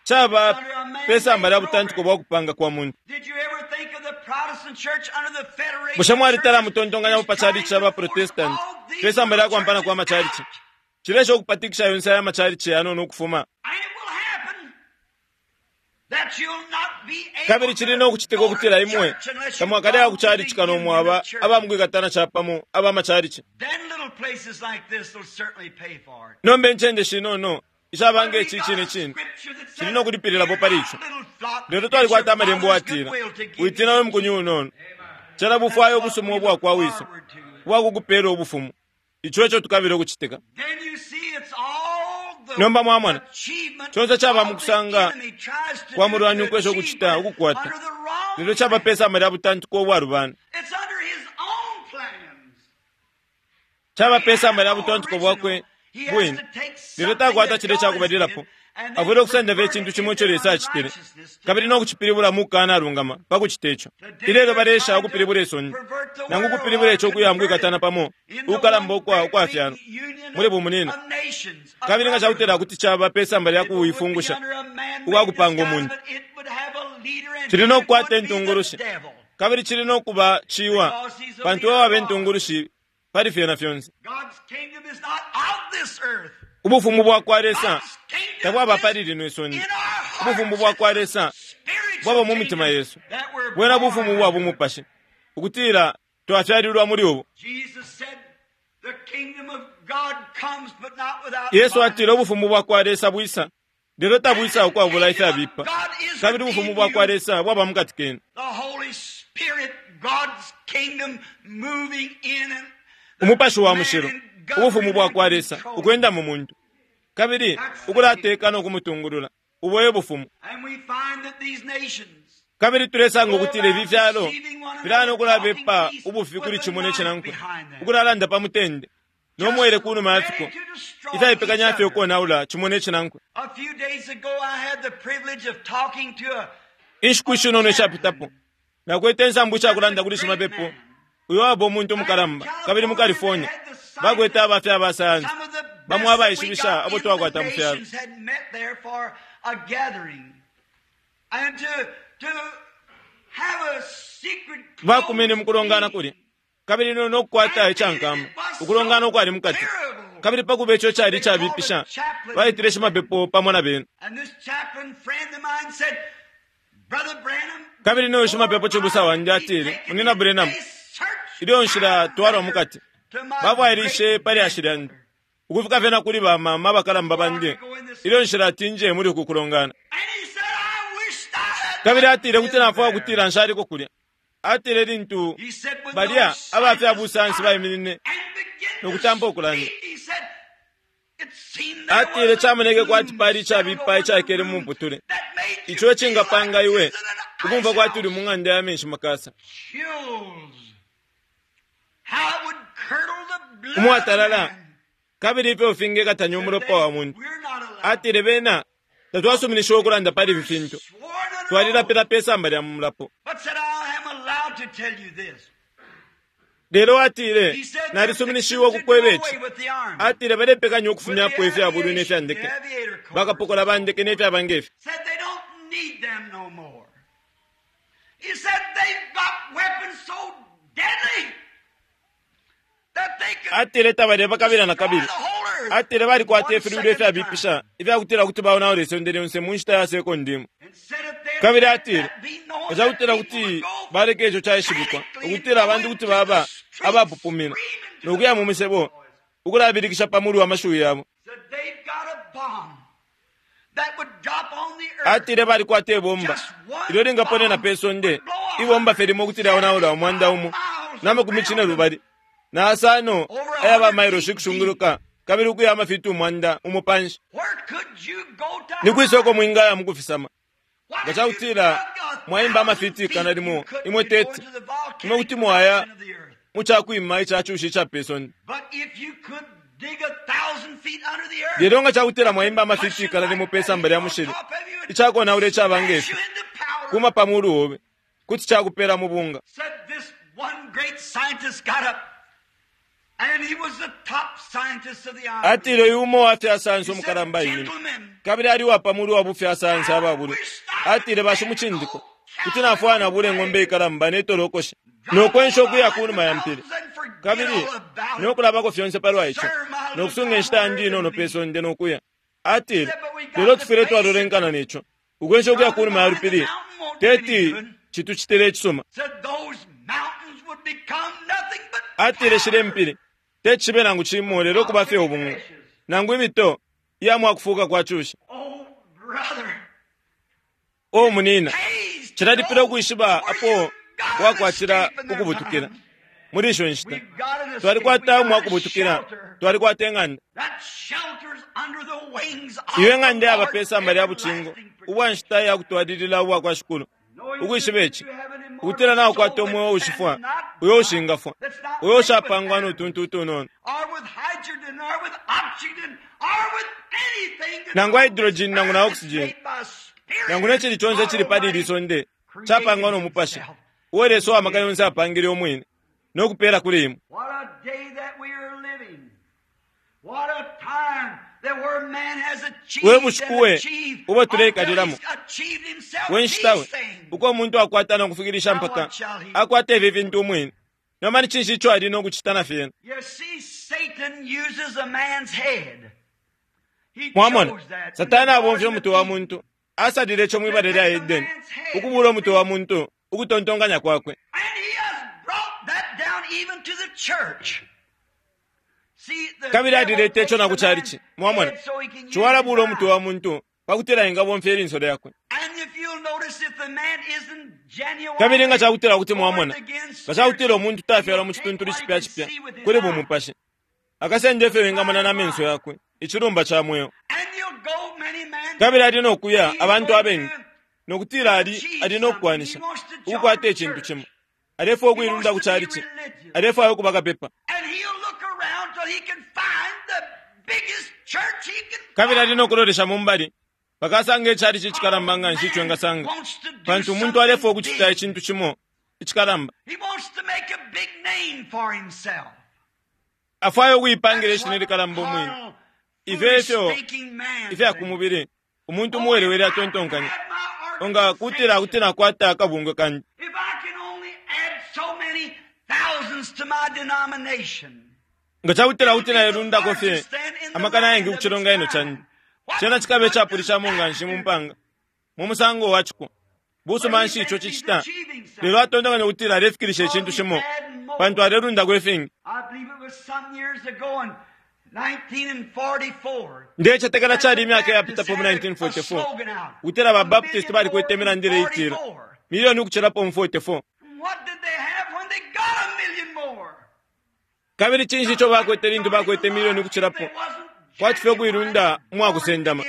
Caba pe samba lya butantiko bwa kupanga kwa muntu. Did you ever think of the Protestant Church under the Federation? Bushe mwalitala Churches mutontonkanyapo is pa chalichi trying cha ba to force Protestant all these pe samba lya kwampana kwa churches machalichi? out? Cilesha ukupatikisha yonse aya machalichi yanono ukufuma. And it will happen that you'll not be able Kabili cili no kucitika to go to ukutila imwe church unless you tamwakaleya ku belong to chalichi the kano union mwaba of churches. abamkwikatana capamo aba machalichi. Then little places like this will certainly pay for it. Nomba incende shinono ishabanga ici cine cine cili no kulipililapo pali ico. Lelo twalikwata amalembo atila, witina we mukunyu unono, cela bufwayo ubusuma ubwa kwa wiso ubwakukupela ubufumu. Ico eco tukabila ukucitika. Nomba mwamona, conse caba mukusanga kwa mulwani ukwesha ukucita ukukwata, lelo caba pe samba lya butantiko ubwalubana. Caba pe samba lya butantiko bwakwe bwine, lelo takwata cile cakubalilapo. Afwile ukusenda fye icintu cimo ico Lesa acitile, kabili no kucipilibula mu kukanalungama pa kucita ico. Ilelo baleesha ukupilibula isonde, nangu ukupilibula ico ukuya mukwikatana pamo ukukalamba ukwa ukwafyalo muli bumunina. Kabili nga cakutila kuti caba pe samba lya kuifungusha ukwakupanga umuntu, cili no kukwata intungulushi, kabili cili no kuba ciwa, pantu we waba intungulushi pali fyena fyonse. Ubufumu bwa kwa Lesa tabwaba pali lino isonde. Ubufumu bwa kwa Lesa bwaba mu mitima yesu. Bwena bufumu bwa bumupashi, ukutila twafyalilwa muli ubu. Yesu atile ubufumu bwa kwa Lesa bwisa, lelo tabwisa ukwabula ifyabipa. Kabili ubufumu bwa kwa Lesa bwaba mukati kenu. Umupashi wa mushilo, ubufumu bwa kwa Lesa ukwenda mu muntu, kabili ukulateka no kumutungulula. Ubo e bufumu. Kabili tulesanga ukutila ifi fyalo filana ukulabepa ubufi kuli cimo ne cinankwe, ukulalanda pa mutende no mwele ku numa ya fiko, ifyaipekanya fye ukonaula cimo ne cinankwe. Inshiku ishinono ishapitapo nakwete insambu ishakulanda kuli shimapepo uyo waba umuntu umukalamba kabili mu California bakwete abafya aba sayansi bamwe abaishibisha abo twakwata mu fyalo. Bakumene mu kulongana kulya, kabili no nokukwata icankama ukulongana ukwali mukati, kabili pakuba ico cali icabipisha baitile shimapepo pamo na bena. Kabili noyo shimapepo cibusa wandi atile, Munina Branham, ilyo nshila twalwa mukati bafwailishe pali ashilandi ukufika fyena kuli bamama abakalamba bandi ilyo nshila atinje muli uku kulongana. Kabili atile kuti nafwaya kutila nshaliko kulya. Atile lintu balya abafya busansi baiminine Nokutampa ukulanda. Atile chamoneke kwati pali ichabipa ichakele mu mputule icho echingapanga iwe ukumva kwati uli mu ng'anda ya menshi makasa umwatalala kabili ifyo ufingekatanya umulopa wa muntu. Atile bena tatwasuminishiwa ukulanda pali ifi fintu, twalilapila pe samba lya mulapo. Lelo atile nalisuminishiwe ukukweba ici. Atile balepekanya ukufumyapo ifya bulwi ne fya ndeke, bakapokola ba ndeke ne fyaba ngefi. Atile tabale bakabila na kabili. Atile balikwata ifilwilo ifyabipisha ifyakutila kuti baonaula isonde lyonse mu nshita ya sekondi imo. Kabili atile ecakutila kuti baleka ico caishibikwa ukutila abantu kuti baba abapupumina nokuya mu misebo ukulabilikisha pa mulu wa mashiwi yabo. Atile balikwata ibomba ilyo lingaponena pe sonde, ibomba fye limo kuti lyaonaula umwanda umo na makumi cine lubali na asano aya bamailoshi kushunguluka kabili ukuya amafiti umwanda umo panshi. Ni kwisa uko mwingaya mukufisama? Nga cakutila mwaimba amafiti ikana limo imwe tete imwe kuti mwaya mucakwima icacushi ica pe sonde. Lelo nga cakutila mwaimba amafiti ikana limo pe samba lya mushili icakonaula icaba ngefi kuma pa mulu obe kuti cakupela mu bunga. Atile uyu umo wa fya sayansi umukalamba imine kabili ali wa pamulu wa bufya sayansi ababulwi. Atile bashimucindiko kuti nafwana nabula eng'ombe ikalamba netolokosha nokwensha ukuya kunuma ya mpili kabili nokulabako fyonse palwa ico nokusunga enshita yandi inono pe sonde nokuya. Atile lelo tufwile twalolenkana neco ukwensha ukuya kunuma ya lupili teti chituchitile echisuma. Atile shile mpili techibe nangu chimo lelo kuba fye ubunga nangu imito iya mwakufuka kwa chusha. O munina chilalipila ukwishiba apo wakwatila ukubutukila muri isho nshita. Twalikwata umwakubutukila, twalikwata eng'anda. Iyo eng'anda yaba pe samba lya buchingo ubwa nshita yakutwalilila ubwa kwa shikulu. Ukwishiba ichi ukutila nakukwata umweo ushifwa uyo ushingafwa uyo ushapangwa notuntu utunono nangu hydrogen nangu na oxygen nangu nechili chonse chili pali ili sonde chapangwa nomupashi uwe Lesa uwamaka yonse apangile umwine nokupela kuli imwe. We bushiku we ubo tuleikalilamo, we nshita we uko umuntu akwata nokufikilisha mpaka akwata ifi fintu umwine. Nomba ni cinshi ico ali nokucita na fyena? Mwamona Satani abomfya umutwe wa muntu, asalile ico mwibala lya Edeni ukubula umutwe wa muntu ukutontonkanya kwakwe. Kabili alileta ico na ku chalichi. Mwamona ciwalabula umutwe wa muntu pakutila ingabomfya ilinso lyakwe. Kabili nga cakutila kuti mwamona nga cakutila umuntu tafyalwa mu cituntulu cipya cipya kuli bumupashi akasenda ifyo wingamona na menso yakwe icilumba ca mweo. Kabili ali nokuya abantu abengi nokutila ali ali nokukwanisha ukukwata icintu cimo. Alefwaya ukuilunda ku chalichi, alefwaya ukuba kapepa. Kabili ali nokulolesha mumbali pakasanga echalichi icikalamba nga nshi ico engasanga, pantu umuntu alefwaya ukucita icintu cimo icikalamba. Afwaya ukuipangila ishina ilikalamba umwine. Ifyo efyo ifya kumubili umuntu umuwelewele atontonkanya onga kutila kuti nakwata akabungwe kandi. Nga cakutila kuti nailundako fye amakana ayengi ku chilonganino chandi chena chikabe chapulishamo nga nshi mu mpanga mu musango wa chiko. Busuma nshi ico cicita? Lelo atontonkanya kutila alefikilisha icintu cimo pantu alelundako ifingi. Ndecetekela cali imyaka iyapitapo mu nineteen forty-four ukutila ba Baptist balikwete imilandile itila milioni ukucilapo mu forty-four. Kabili cinshi ico bakwete lintu bakwete milioni ukucilapo, kwati fye ukuilunda umwakusendama.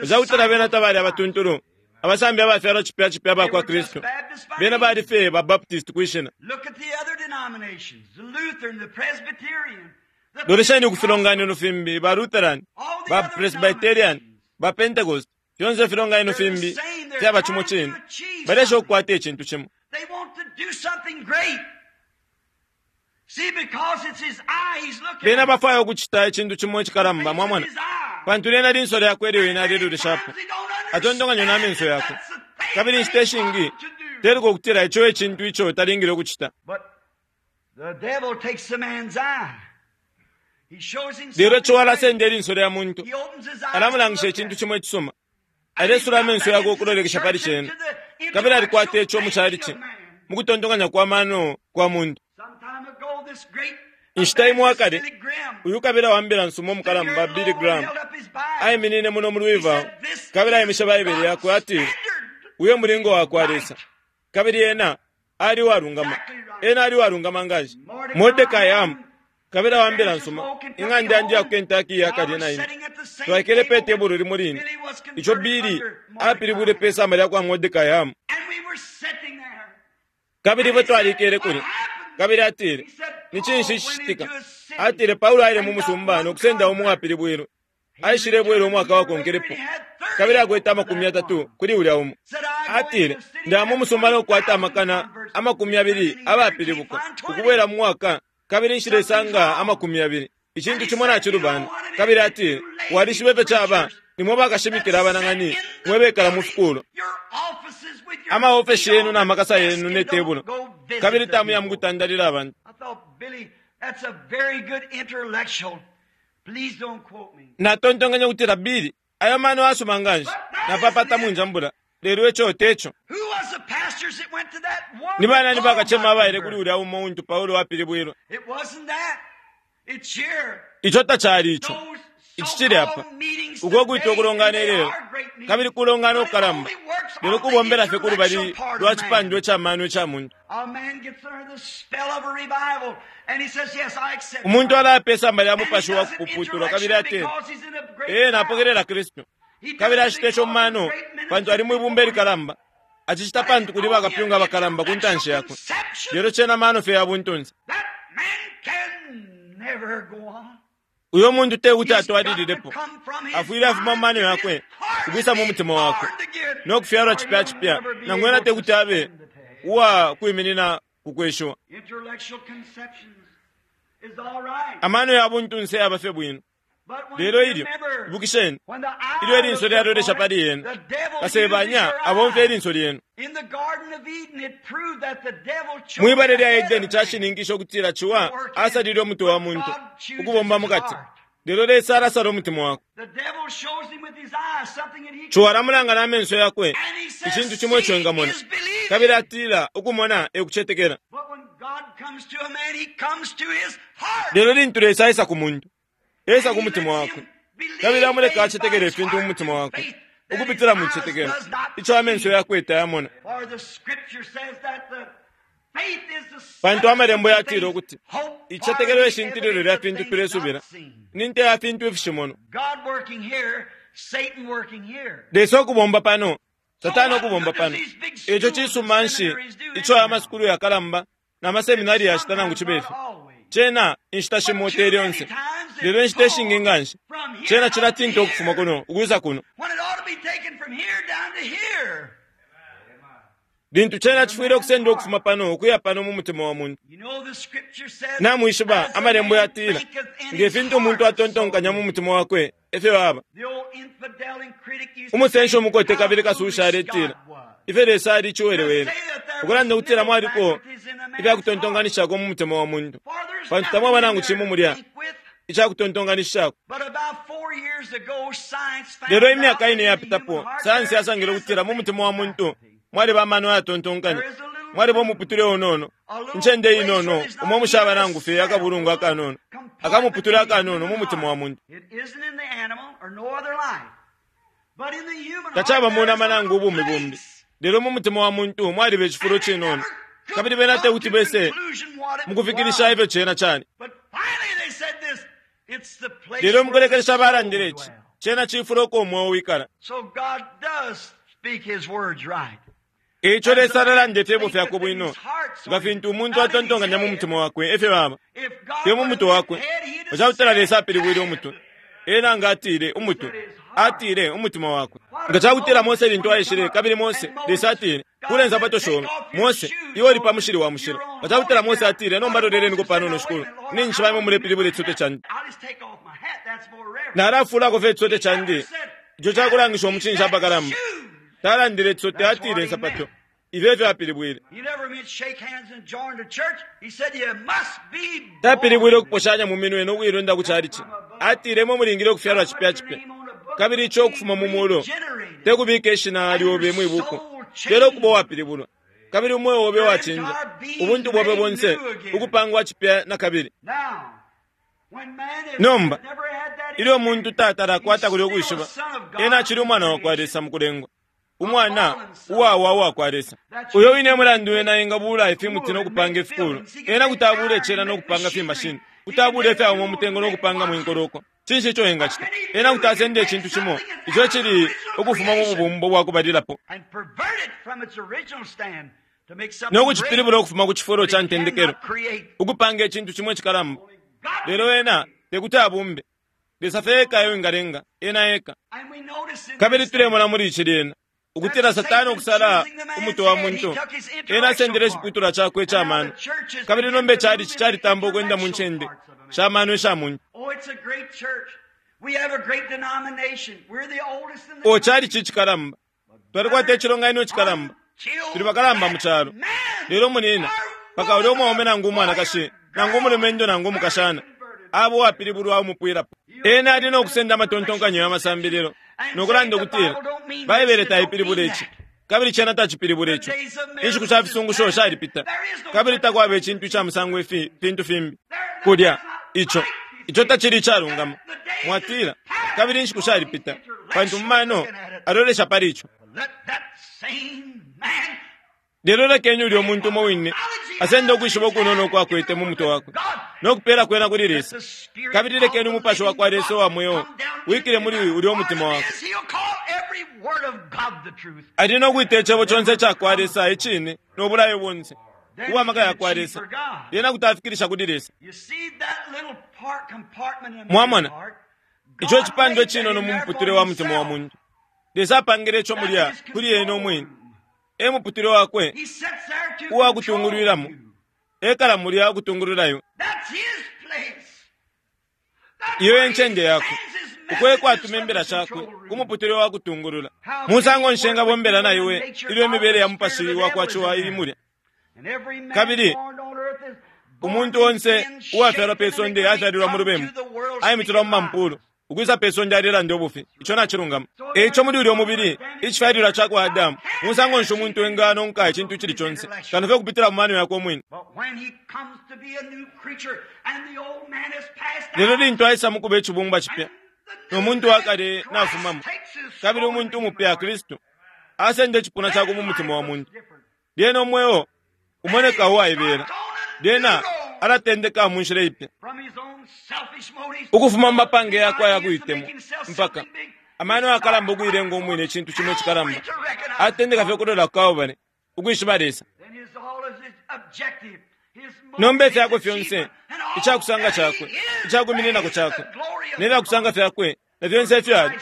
Cakutila bena tabali abatuntulu, abasambi abafyalwa cipya cipya abakwa Kristu. Bena bali fye ba Baptist kwishina. Lolesheni ku filonganino fimbi, ba Lutheran, ba Presbyterian, ba Pentecost, fyonse ifilonganino fimbi fyaba cimo cine. Balesha ukukwata icintu cimo. Bena bafwaya ukucita icintu cimo icikalamba, mwamona, pantu lyena linso lyakwe ilyo ena aleloleshapo. Atontonkanya na menso yakwe. Kabili inshita ishingi teluka ukutila ico e cintu ico talingile ukucita. Lelo ico alasenda ilinso lya muntu, alamulangisha icintu cimo icisuma. Alesula amenso yakwe ukulolekesha pali cena. Kabili alikwata ico mu chalichi, mukutontonkanya kwa mano kwa muntu. Inshita imo akale, uyu kabila wa mbila nsuma umukalamba Billy Graham aiminine muno mu Louisville, kabili aimishe Baibele yakwe, atile, uyo mulingo wakwa Lesa. Kabili ena ali uwalungama, ena ali uwalungama nganshi. Mordecai Ham, kabila wa mbila nsuma, ing'anda yandi ya ku Kentucky yakalye na ine. Twaikele pe tebulo limo line, ico Billy apilibwile pe samba lya kwa Mordecai Ham. Kabili ifwe twalikele kulya. Kabili atile, ni cinshi cicitika? Atile Paulo aile mu musumba no kusenda umo uwapilibwilwe. Aishile bwela umwaka wakonkelepo. Kabili akwete amakumi atatu kuli ulya umo. Atile, ndaya mu musumba no kukwata amakana amakumi abili abapilibuka ukubwela mu mwaka, kabili nshilesanga amakumi abili. Icintu cimo nacilubana. Kabili atile, walishiba ifyo caba, nimwe bakashimikila abanang'ani, mwe bekala mu fikulo. Amaofeshi yenu na makasa yenu ne tebulo. Kabili tamuya mukutandalila abantu. Natontonkanya ukutila Billy, ayo mano asuma nganshi, napapata munjambula, lelo ico teco. Ni banani bakacema abaile kuli ulya umo untu Paulo apilibwilwe? Ico tacali ico. Ici cili apa. Uko kwita ukulongana ilelo, kabili kulongana ukukalamba, lelo kubombela fye kulubali lwa cipandwa ica mano ica muntu. Umuntu alaya pe samba lya mupashi wa kupuputulwa, kabili atile, ee, napokelela Kristu. Kabili acita ico mu mano, pantu ali mwibumba ilikalamba. Acicita pantu kuli bakapyunga abakalamba ku ntanshi yakwe. Lelo cena mano fye ya buntunse. Uyo muntu tekuti atwalililepo. Afwile afuma mu mano yakwe, ukwisa mu mutima wakwe, no kufyalwa cipya cipya, nangu ena tekuti abe uwa kwiminina ku kweshiwa. Amano ya buntunse yaba fye bwino. Lelo ilyo, ibukisheni, ilyo ilinso lyalolesha pali yena, kasebanya abomfya ilinso lyenu. Mwibale lya Edeni cashininkisha ukutila ciwa asalile umutwe wa muntu ukubomba mukati. Lelo Lesa alasala umutima wakwe. Ciwa alamulanga na menso yakwe icintu cimo ico engamona, kabili atila ukumona ekucetekela. Lelo lintu Lesa aisa ku muntu, esa ku mutima wakwe, kabili amuleka acetekele ifintu mu mutima wakwe ukupitila mu cicetekelo ico amenso yakwe tayamona. Pantu amalembo yatila ukuti icicetekelo eshintililo lya fintu tulesubila, ni nte ya fintu ifishimono. Lesa ukubomba pano, Satani ukubomba pano. Ico cisuma nshi ico aya masukulu yakalamba na maseminari yacita nangu cibe fyo? Cena inshita shimo te lyonse, lelo inshita ishingi nganshi cena cilatinta ukufuma kuno ukwisa kuno. Lintu cena cifwile ukusendwa ukufuma pano ukuya pano mu mutima wa muntu. Namwishiba amalembo yatila, nge fintu umuntu atontonkanya mu mutima wakwe efyo aba. Umusenshi umukote kabili kasusha aletila, ifyo Lesa ali iciwelewele, ukulanda ukutila mwaliko ifyakutontonkanishako mu mutima wa muntu, pantu tamwaba nangu cimo mulya icakutontonkanishako. Lelo imyaka ine yapitapo, sayansi yasangile ukutila mu mutima wa muntu mwaliba amano ayatontonkanya, mwaliba umuputule unono, incende inono umo mushaba nangu fye akabulungu akanono, akamuputule akanono mu mutima wa muntu. Tacaba mu nama nangu ubumi bumbi, lelo mu mutima wa muntu mwaliba icifulo cinono, kabili bena tekuti bese mukufikilisha ifyo cena cali. Lelo mukulekelesha balandile ici, cena cifulo uko umweo wikala. Eico Lesa alalanda ifyebo fyakwe bwino, nga fintu umuntu atontonkanya mu mutima wakwe efyo baba. Te mu mutwe wakwe. Nga cakutila Lesa apilibwile umutwe, ena nga atile umutwe, atile umutima wakwe. Nga cakutila Mose lintu aishile, kabili Mose, Lesa atile, "Kule nsapato shobe, Mose, iwe uli pa mushili wa mushilo." Nga cakutila Mose atile, "Nomba loleleniko panono shikulu, ninshi baimwe mulepilibula icisote candi. Nalafulako fye icisote candi, ico cakulangisha umucinshi apakalamba." Talandile icisote, atile nsapato. Ifyo efyo apilibwile. Tapilibwile ukuposhanya mu minwe no kuilunda ku chalichi. Atile imwe mulingile ukufyalwa cipya cipya, kabili ico ukufuma mu mulu te kubika ishina lyobe mwi buku, lelo ukuba uwapilibulwa, kabili umweo obe wacinja, ubuntu bwobe bonse ukupangwa cipya na kabili. Nomba ilyo umuntu tatala akwata kulya ukwishiba, ena acili umwana wakwa Lesa mukulengwa, umwana uwawa uwakwa Lesa. Uyo wine mulandu ena engabula ifimuti no kupanga ifikulu, ena kuti abula icela no kupanga fimashini, kuti abula ifyauma umutengo no kupanga mwinkoloko. Cinshi ico engacita? Ena kuti asenda icintu cimo ico cili ukufuma mu bubumbo bwa kubalilapo no kucipilibula ukufuma ku cifulo ca ntendekelo, ukupanga icintu cimo icikalamba. Lelo ena tekuti abumbe. Lesa fye eka eyo engalenga, ena eka. Kabili tulemona muli ici lyena ukutila Satani ukusala umutwe wa muntu, ena asendele iciputulwa cakwe ica mano, kabili nomba icalici calitamba ukwenda mu ncende sha mano isha muntu. O calici icikalamba, twalikwata icilonganino icikalamba, tuli bakalamba mu calo. Lelo munina, paka ulya umwaume nangu umwanakashi, nangu umulumendo nangu umukashana, abo uwapilibulwa umupwilapo. Ena ali no kusenda amatontonkanyo ya masambililo nokulanda ukutila Baibele taipilibula ici, kabili cena tacipilibula ico. Inshiku sha fisungusho shalipita, kabili takwaba icintu ica musango ifi fintu fimbi kulya. Ico ico tacili icalungama. Mwatila, kabili inshiku shalipita, pantu mu mano alolesha pali ico. Lelo lekeni ulya umuntu umo wine asende ukwishiba ukunono ukwakwete mu mutwe wakwe no kupela kwena kuli Lesa, kabili lekeni umupashi wa kwa Lesa uwa mweo wikile muli ulya umutima wakwe. Ali no kwita icebo conse ica kwa Lesa icine no bulayo bonse ubwa maka ya kwa Lesa, lyena kuti afikilisha kuli Lesa. Mwamona ico icipandwa icinono mu muputule wa mutima wa muntu. Lesa apangile ico mulya kuli ena umwine. E muputule wakwe uwa kutungulwilamo, ekala mulya ukutungulula iwe. Iyo encende yakwe uko ekwatuma imbila shakwe ku muputule wa kutungulula. Musango nshenga bombela na iwe ilyo imibele ya mupashi wa kwa ciwa ili mulya. Kabili umuntu onse uwafyalwa pe sonde afyalilwa mu lubembu, aimitulwa mu mampulu, ukwisa pe sonde alilanda ubufi. Ico nacilungama. Eico muli ulya umubili icifyalilwa ca kwa Adamu, musango nshi umuntu enganonka icintu icili conse kano fye kupitila mu mano yakwe umwine. Lelo lintu aisa mukuba icibumbwa cipya, no muntu wakale nafumamo, kabili umuntu umupya Kristu asenda icipuna cakwe mu mutima wa muntu, lyena umweo umoneka uwaibela, lyena alatendeka mu nshila ipya ukufuma mu mapange yakwe ayakuitemwa, mpaka amano yakalamba ukuilenga umwine icintu cimo icikalamba. Atendeka fye ukulola ku Kalbale, ukwishiba Lesa. Nomba ifyakwe fyonse, icakusanga cakwe, icakumininako cakwe, ne fyakusanga fyakwe, na fyonse ifyo ali,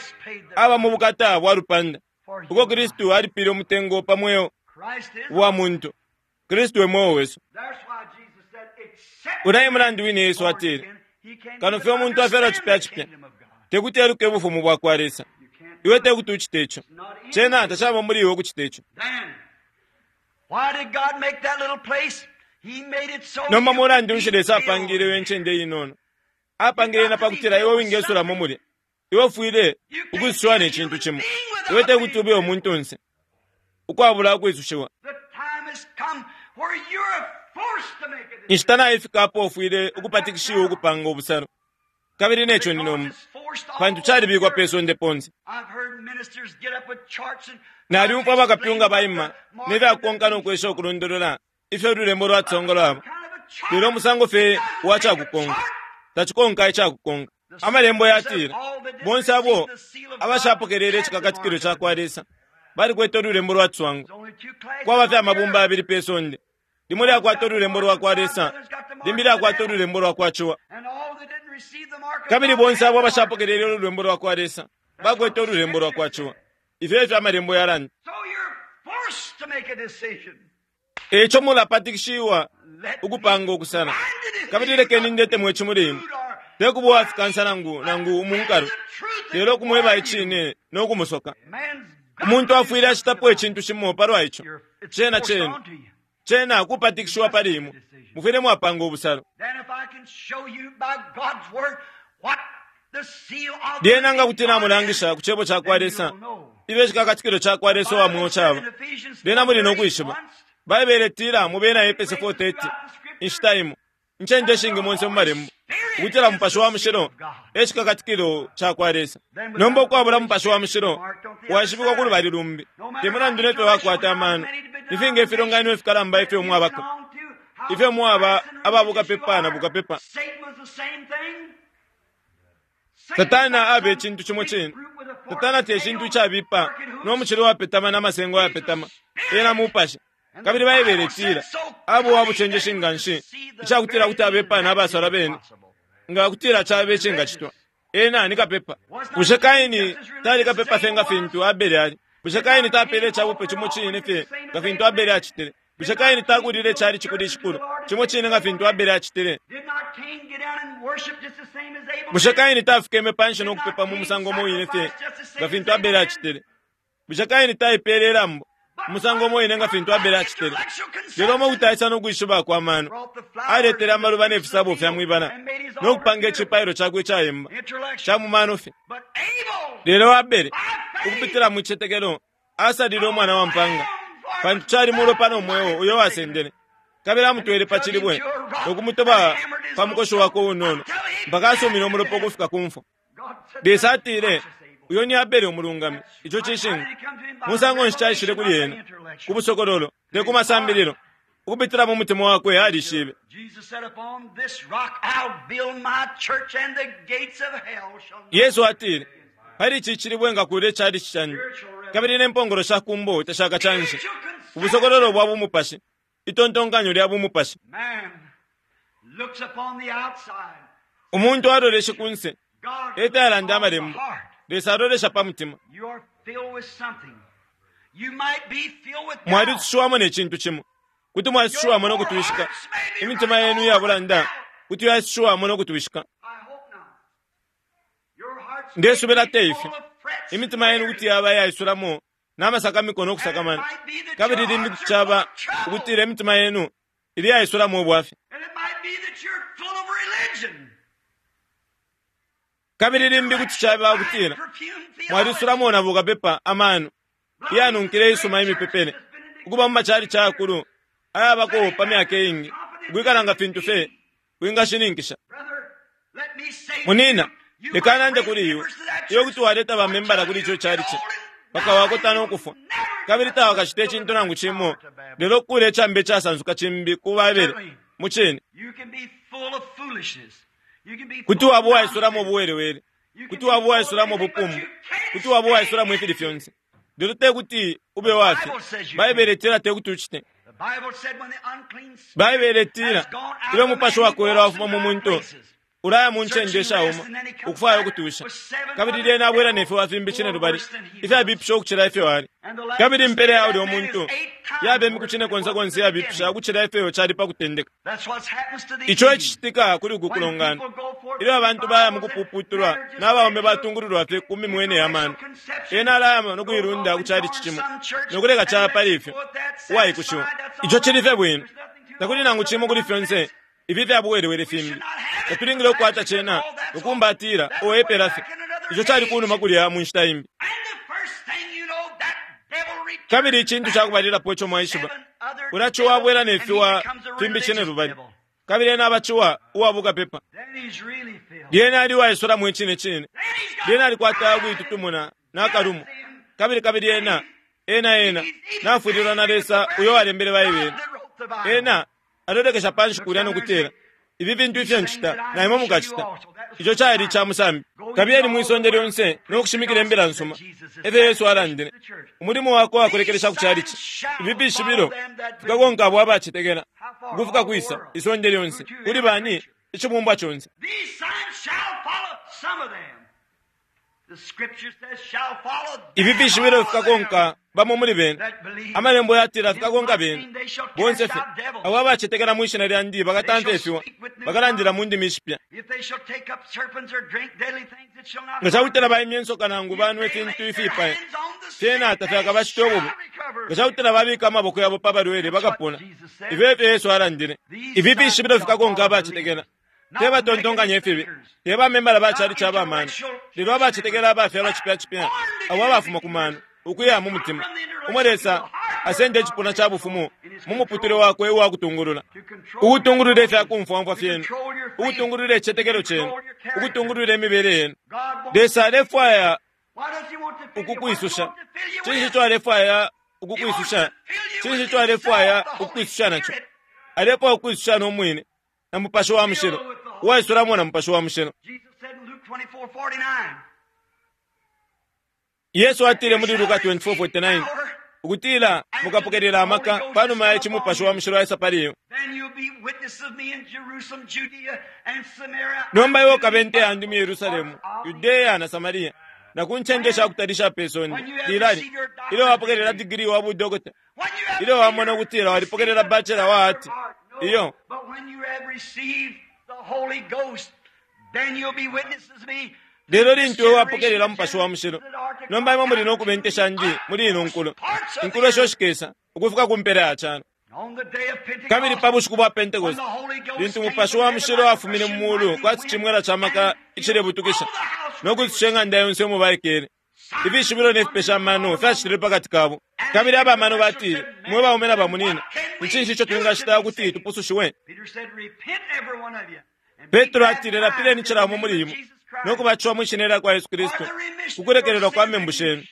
aba mu bukata bwa lupanda, uko Kristu alipile umutengo pa mweo wa muntu. Kristu e mweo wesu. Ulya e mulandu wine Yesu atile, kano fye umuntu afyalwa cipya cipya, tekuti eluke ubufumu bwa kwa Lesa. Iwe tekuti ucite ico. Cena tacaba muli iwe ukucita ico. Nomba mulandu nshi Lesa apangile iwe ncende inono? Apangile ena pakutila iwe wingesulamo mulya. Iwe ufwile ukwisushiwa ne cintu cimo. Iwe tekuti ube umuntunse ukwabula ukwisushiwa. Inshita naifika apo ufwile ukupatikishiwa ukupanga ubusalo. Kabili neco ni nomba, pantu calibikwa pe sonde ponse. Naliumfwa bakapyunga baima ne fyakukonka no kwesha ukulondolola ifyo ululembo lwatsongolwabo, lelo umusango fye wa cakukonka. Tachikonka icakukonka. Amalembo yatila bonse abo abashapokelele icikakatikilo ca kwa Lesa balikwete ululembo lwa ciswango. Kwaba fye amabumba abili pe sonde, limo lyakwata ululembo lwa kwa Lesa, limbi lyakwata ululembo lwa kwa ciwa. Kabili bonse abo abashapokelele ululembo lwa kwa Lesa bakwete ululembo lwa kwa ciwa. Ifyo efyo amalembo yalanda. Eco mulapatikishiwa ukupanga ukusala. Kabili lekeni ndete mwe chimuli imwe, tekuba uwafikansa nangu nangu umunkalo, lelo kumweba icine no kumusoka. Umuntu afwile acitapo icintu cimo palwa ico. Cena cena cena kupatikishiwa pali imwe, mufwile mwapanga ubusalo. Lyena nga kuti namulangisha ku cebo ca kwa Lesa ifyo icikakatikilo ca kwa Lesa uwa mweo caba, lyena muli no kwishiba. Baibele itila mu bena Efese four thirty, inshita imo incende ishingi monse mu malembo, ukutila Mupashi wa Mushilo e cikakatikilo ca kwa Lesa. Nomba ukwabula Mupashi wa Mushilo washibikwa ku lubali lumbi, te mulandu nefyo wakwata amano, ifinga ifilonganino ifikalamba ifyo mwabako, ifyo mwaba aba bukapepa na bukapepa. Satana abe icintu cimo cine. Satana te cintu icabipa no mucilo wapetama n'amasengo yapetama, ena mupashi. Kabili Baibele itila abo wabucenjeshi nga nshi, icakutila kuti abepa n'abasala bene, nga kutila cabe icingacitwa. Ena ni kapepa. Bushe Kaini tali kapepa fye nga fintu Abele ali? Bushe Kaini tapele icabupe cimo cine fye nga fintu Abele acitile? Bushe Kaini takulile icali cikulu icikulu cimo cine nga fintu Abele acitile? Bushe Kaini tafikeme panshi no kupepa mu musango umo wine fye nga fintu Abele acitile? Bushe Kaini taipele ilambo umusango umo wine nga fintu Abele acitile? Lelo umo kutaisa no kwishiba kwa mano, aletele amaluba ne fisabo fya mwibala no kupanga icipailo cakwe icayemba ca mu mano fye. Lelo Abele, ukupitila mu cicetekelo, asalile umwana wa mpanga, pantu cali mulopa no mweo uyo wasendele. Kabili amutwele pa cilibwe no kumutoba pa mukoshi wakwe unono mpaka asumine umulopa ukufika ku mfwa. Lesa atile, uyo ni Abele umulungami. Ico cishinka. Musango nshi caishile kuli ena? Ku busokololo, te ku masambililo. Ukupitila mu mutima wakwe alishibe. Yesu atile, pali ici cilibwe ngakule icali cicandi, kabili ne mpongolo sha kumbo tashakacanshe. Ubusokololo bwa bumupashi, itontonkanyo lya bumupashi. Umuntu aloleshe kunse, eta yalanda amalembo. Lesa alolesha pa mutima. Mwalisushiwamo ne cintu cimo. Kuti mwalisushiwamo no kutwishika. Imitima yenu iyabulanda kuti yasushiwamo no kutwishika. Ndesubila te ifyo. Imitima yenu kuti yaba yaisulamo n'amasakamiko no kusakamana. Kabili limbi kuti caba ukutila imitima yenu ili yaisulamo ubwafya. Kabili limbi kuti caba ukutila mwalisulamo na bukapepa amano iyanunkile isuma imipepele, ukuba mu macali cakulu ayabako pa myaka iingi, ukwikala nga fintu fye wingashininkisha. Munina, leka nande kuli iwe, iwe kuti waleta bamembala kuli ico calici bakawakota no kufwa, kabili tawakacite icintu nangu cimo, lelo kukula icambe icasansuka cimbi ku Babele. Mu cine, kuti waba uwaisulamo ubuwelewele, kuti waba uwaisulamo ubupumbu, kuti waba uwaisulamo ifili fyonse, lelo te kuti ube wafye. Baibele itila te kuti ucite. Baibele itila ilyo umupashi wakuwela wafuma mu muntu, ulaya mu ncende ishauma ukufwaya ukutusha, kabili lyena abwela ne fiwa fimbi cine lubali ifyabipisha ukucila ifyo ali. Kabili impela ya ulya umuntu yaba imiku cine konse konse iyabipisha ukucila ifyo cali pa kutendeka. Ico ecicitika kuli uku kulongana ilyo abantu baya mu kupuputulwa n'abaume batungululwa fye ku mimwene ya mano. Ena alaya no kuilunda ku calici cimo no kuleka caba pali ifyo uwaikushiwa. Ico cili fye bwino, takuli nangu cimo kuli fyonse ifi fya buwelewele fimbi. Tatulingile ukukwata cena ukumbatila oepela fye. Ico cali kunuma kulya mu nshita imbi. Kabili icintu cakubalilapo ico mwaishiba, ulaciwa abwela ne fiwa fimbi cine lubali, kabili ena abaciwa uwa bukapepa. Lyena ali uwaisulamo icine cine. Lyena alikwata ukuitutumuna n'akalumo. Kabili kabili ena ena ena nafwililwa na Lesa uyo walembele Baibele. Ena alolekesha panshi kulya no kutila, Ifi fintu ifyo ncita, na imwe mukacita. Ico cali ca musambi. Kabiyeni mwisonde lyonse no kushimikila imbila nsuma. Efyo Yesu alandile. Umulimo wakwe wakulekelesha ku chalichi. Ifi fishibilo fikakonka abo abacetekela. Ukufika kwisa isonde lyonse. Kuli bani icibumbwa conse. These signs shall follow some of them. The scripture says shall follow Ifi fishibilo all fikakonka bamo muli bene. them that believe. Amalembo yatila fikakonka bene. Bonse fye abo abacetekela mwi shina lyandi bakatamfya ifiwa. Bakalandila mu ndimi ishipya. If they shall take up serpents or drink deadly things, it shall not Nga cakutila baimya insoka nangu banwe ifintu ifipaya. Fyena tafyakabacite ububi. Nga cakutila babika amaboko yabo pa balwele bakapona. Ifyo efyo Yesu alandile. Ifi fishibilo fikakonka abacetekela. Te batontonkanya ifibi. Te bamembala ba chalichi abamano. Lelo abacetekela abafyalwa cipya cipya. Abo abafuma ku mano. Ukuya mu mutima. Umwe Lesa asende icipuna ca bufumu mu muputule wakwe uwakutungulula. Ukutungulula ifyakumfwamfwa fyenu. Ukutungulula icicetekelo cenu. Ukutungulula imibele yenu. God wants, Lesa alefwaya why does he want to fill you? What does he ukukwisusha. want to fill you Cinshi with? ico alefwaya ukukwisusha? Cinshi ico alefwaya ukukwisusha naco? Alefwaya ukukwisusha n'umwine na Mupashi wa Mushilo. Uwaisulamo na Mupashi wa Mushilo. Jesus said in Luke twenty-four forty-nine, Yesu atile muli Luka twenty-four forty-nine ukutila mukapokelela amaka panuma ya ici Mupashi wa Mushilo aisa pali iwe. then you'll be witnesses of me in Jerusalem, Judea, and Samaria. Nomba iwe ukabe nte yandi mu Yerusalemu, Yudeya na Samaria, na ku ncende shakutalisha pe sonde. Lilali, ilyo wapokelela digiri wa budokota, When you have ilyo wamona ukutila walipokelela bachelor wa ati, iyo But when you have received the Holy Ghost, then you'll be witnesses of me. Lelo lintu iwe wapokelela Mupashi wa Mushilo, nomba imwe muli no kuba inte shandi muli ino nkulo. Inkulo isho shikesa ukufika ku mpela ya calo. On the day of Pentecost, Kabili pa bushiku bwa when Pentecost, the Holy Ghost lintu came Mupashi from wa heaven Mushilo like a afumine mu rushing mulu mighty kwati wind, cimwela ca maka and icilebutukisha all the house no kwisusha ing'anda yonse umo baikele. Ifishibilo ne fipesha amano fyacitile pakati kabo. Kabili abamano batile, mwe baume na bamunina, ni cinshi ico twingacita ukuti tupusushiwe? Peter said, Repent, every one of you, and be Petro atile, lapileni baptized cila in the umo muli name of imwe Jesus Christ no kubatishiwa mwi shina lya kwa Yesu Kristu kukulekelelwa kwa membu shenu,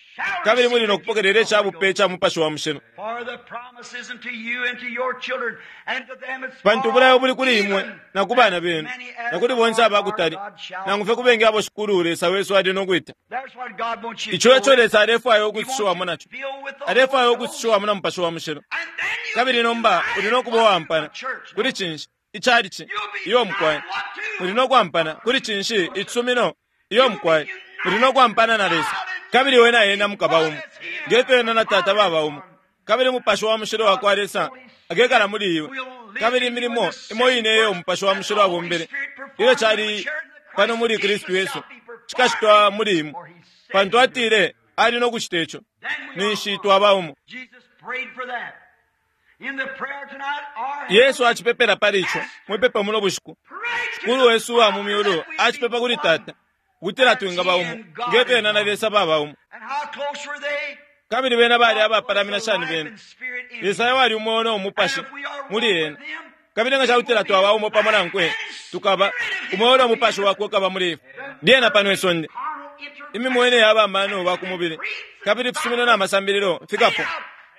kabili muli no kupokelela ica bupe ica Mupashi wa Mushilo. For the promise is unto you and to your children and to them as Pantu far ubulayo buli kuli imwe even na ku bana as benu many as na kuli the bonse Lord our abakutali God shall nangu fye kubengi abo Shikulu Lesa wesu ali no kwita. That's what God wants you Ico to eco Lesa alefwaya ukwisushiwamo naco. Alefwaya ukwisushiwamo na Mupashi wa Mushilo. Kabili nomba uli no kuba uwampana kuli cinshi icalichi iyo mukwai. Muli no kwampana kuli cinshi icisumino iyo mukwai. Muli no kwampana na Lesa. Kabili we na ena mukaba umo. Ngefyo ena na Tata baba umo. Kabili Mupashi wa Mushilo wa kwa Lesa akekala muli iwe. Kabili imilimo imo ine iyo Mupashi wa Mushilo abombele. Ilyo cali pano muli Kristu Yesu cikacitwa muli imwe. Pantu atile ali no kucita ico. Ninshi twaba umo. Jesus prayed for that. In the prayer tonight, our Yesu acipepela pali ico mwipepo muno bushiku. Pray to Shikulu the wesu wa mu Father myulu that we acipepa be kuli one. Tata ukutila twingaba umo ngefyo ena na Lesa baba umo. And how close were they? Kabili bena bali God abapalamina was the shani life bena. and spirit in Lesa him. wali umweo no mupashi And if we are muli one ena. with him, Kabili nga cakutila twaba umo pamo nankwe tukaba umweo no mupashi wakwe ukaba muli ifwe. Lyena pano isonde carnal inter- imimwene y'abamano ba ku mubili kabili ifisumino n'amasambililo fikapo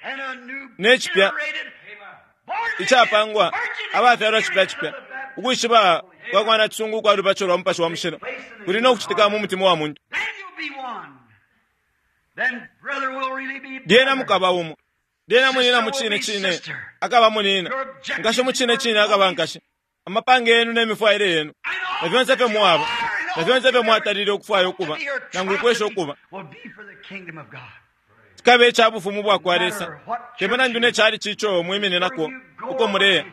and a new Ne cipya generated, born again, icapangwa virgin abafyalwa spirit cipya cipya of the baptism. ukwishiba kwa kwana cisungu kwa lubatisho lwa Mupashi wa Mushilo kuli no kucitika mu mutima wa muntu. Then you'll be one. Then brother will really be Lyena brother. mukaba umo. Lyena munina mu cine cine akaba munina, nkashi mu cine cine akaba nkashi. Amapange yenu n'emifwaile yenu And all na fyonse fye that you mwaba are and na all fyonse that fye you mwatalile ukufwaya ukuba to be or try nangu to ukwesha be ukuba will be for the kingdom of God. cikabe ica bufumu bwa kwa Lesa. Temulandu ne cali cico mwimininako uko muleya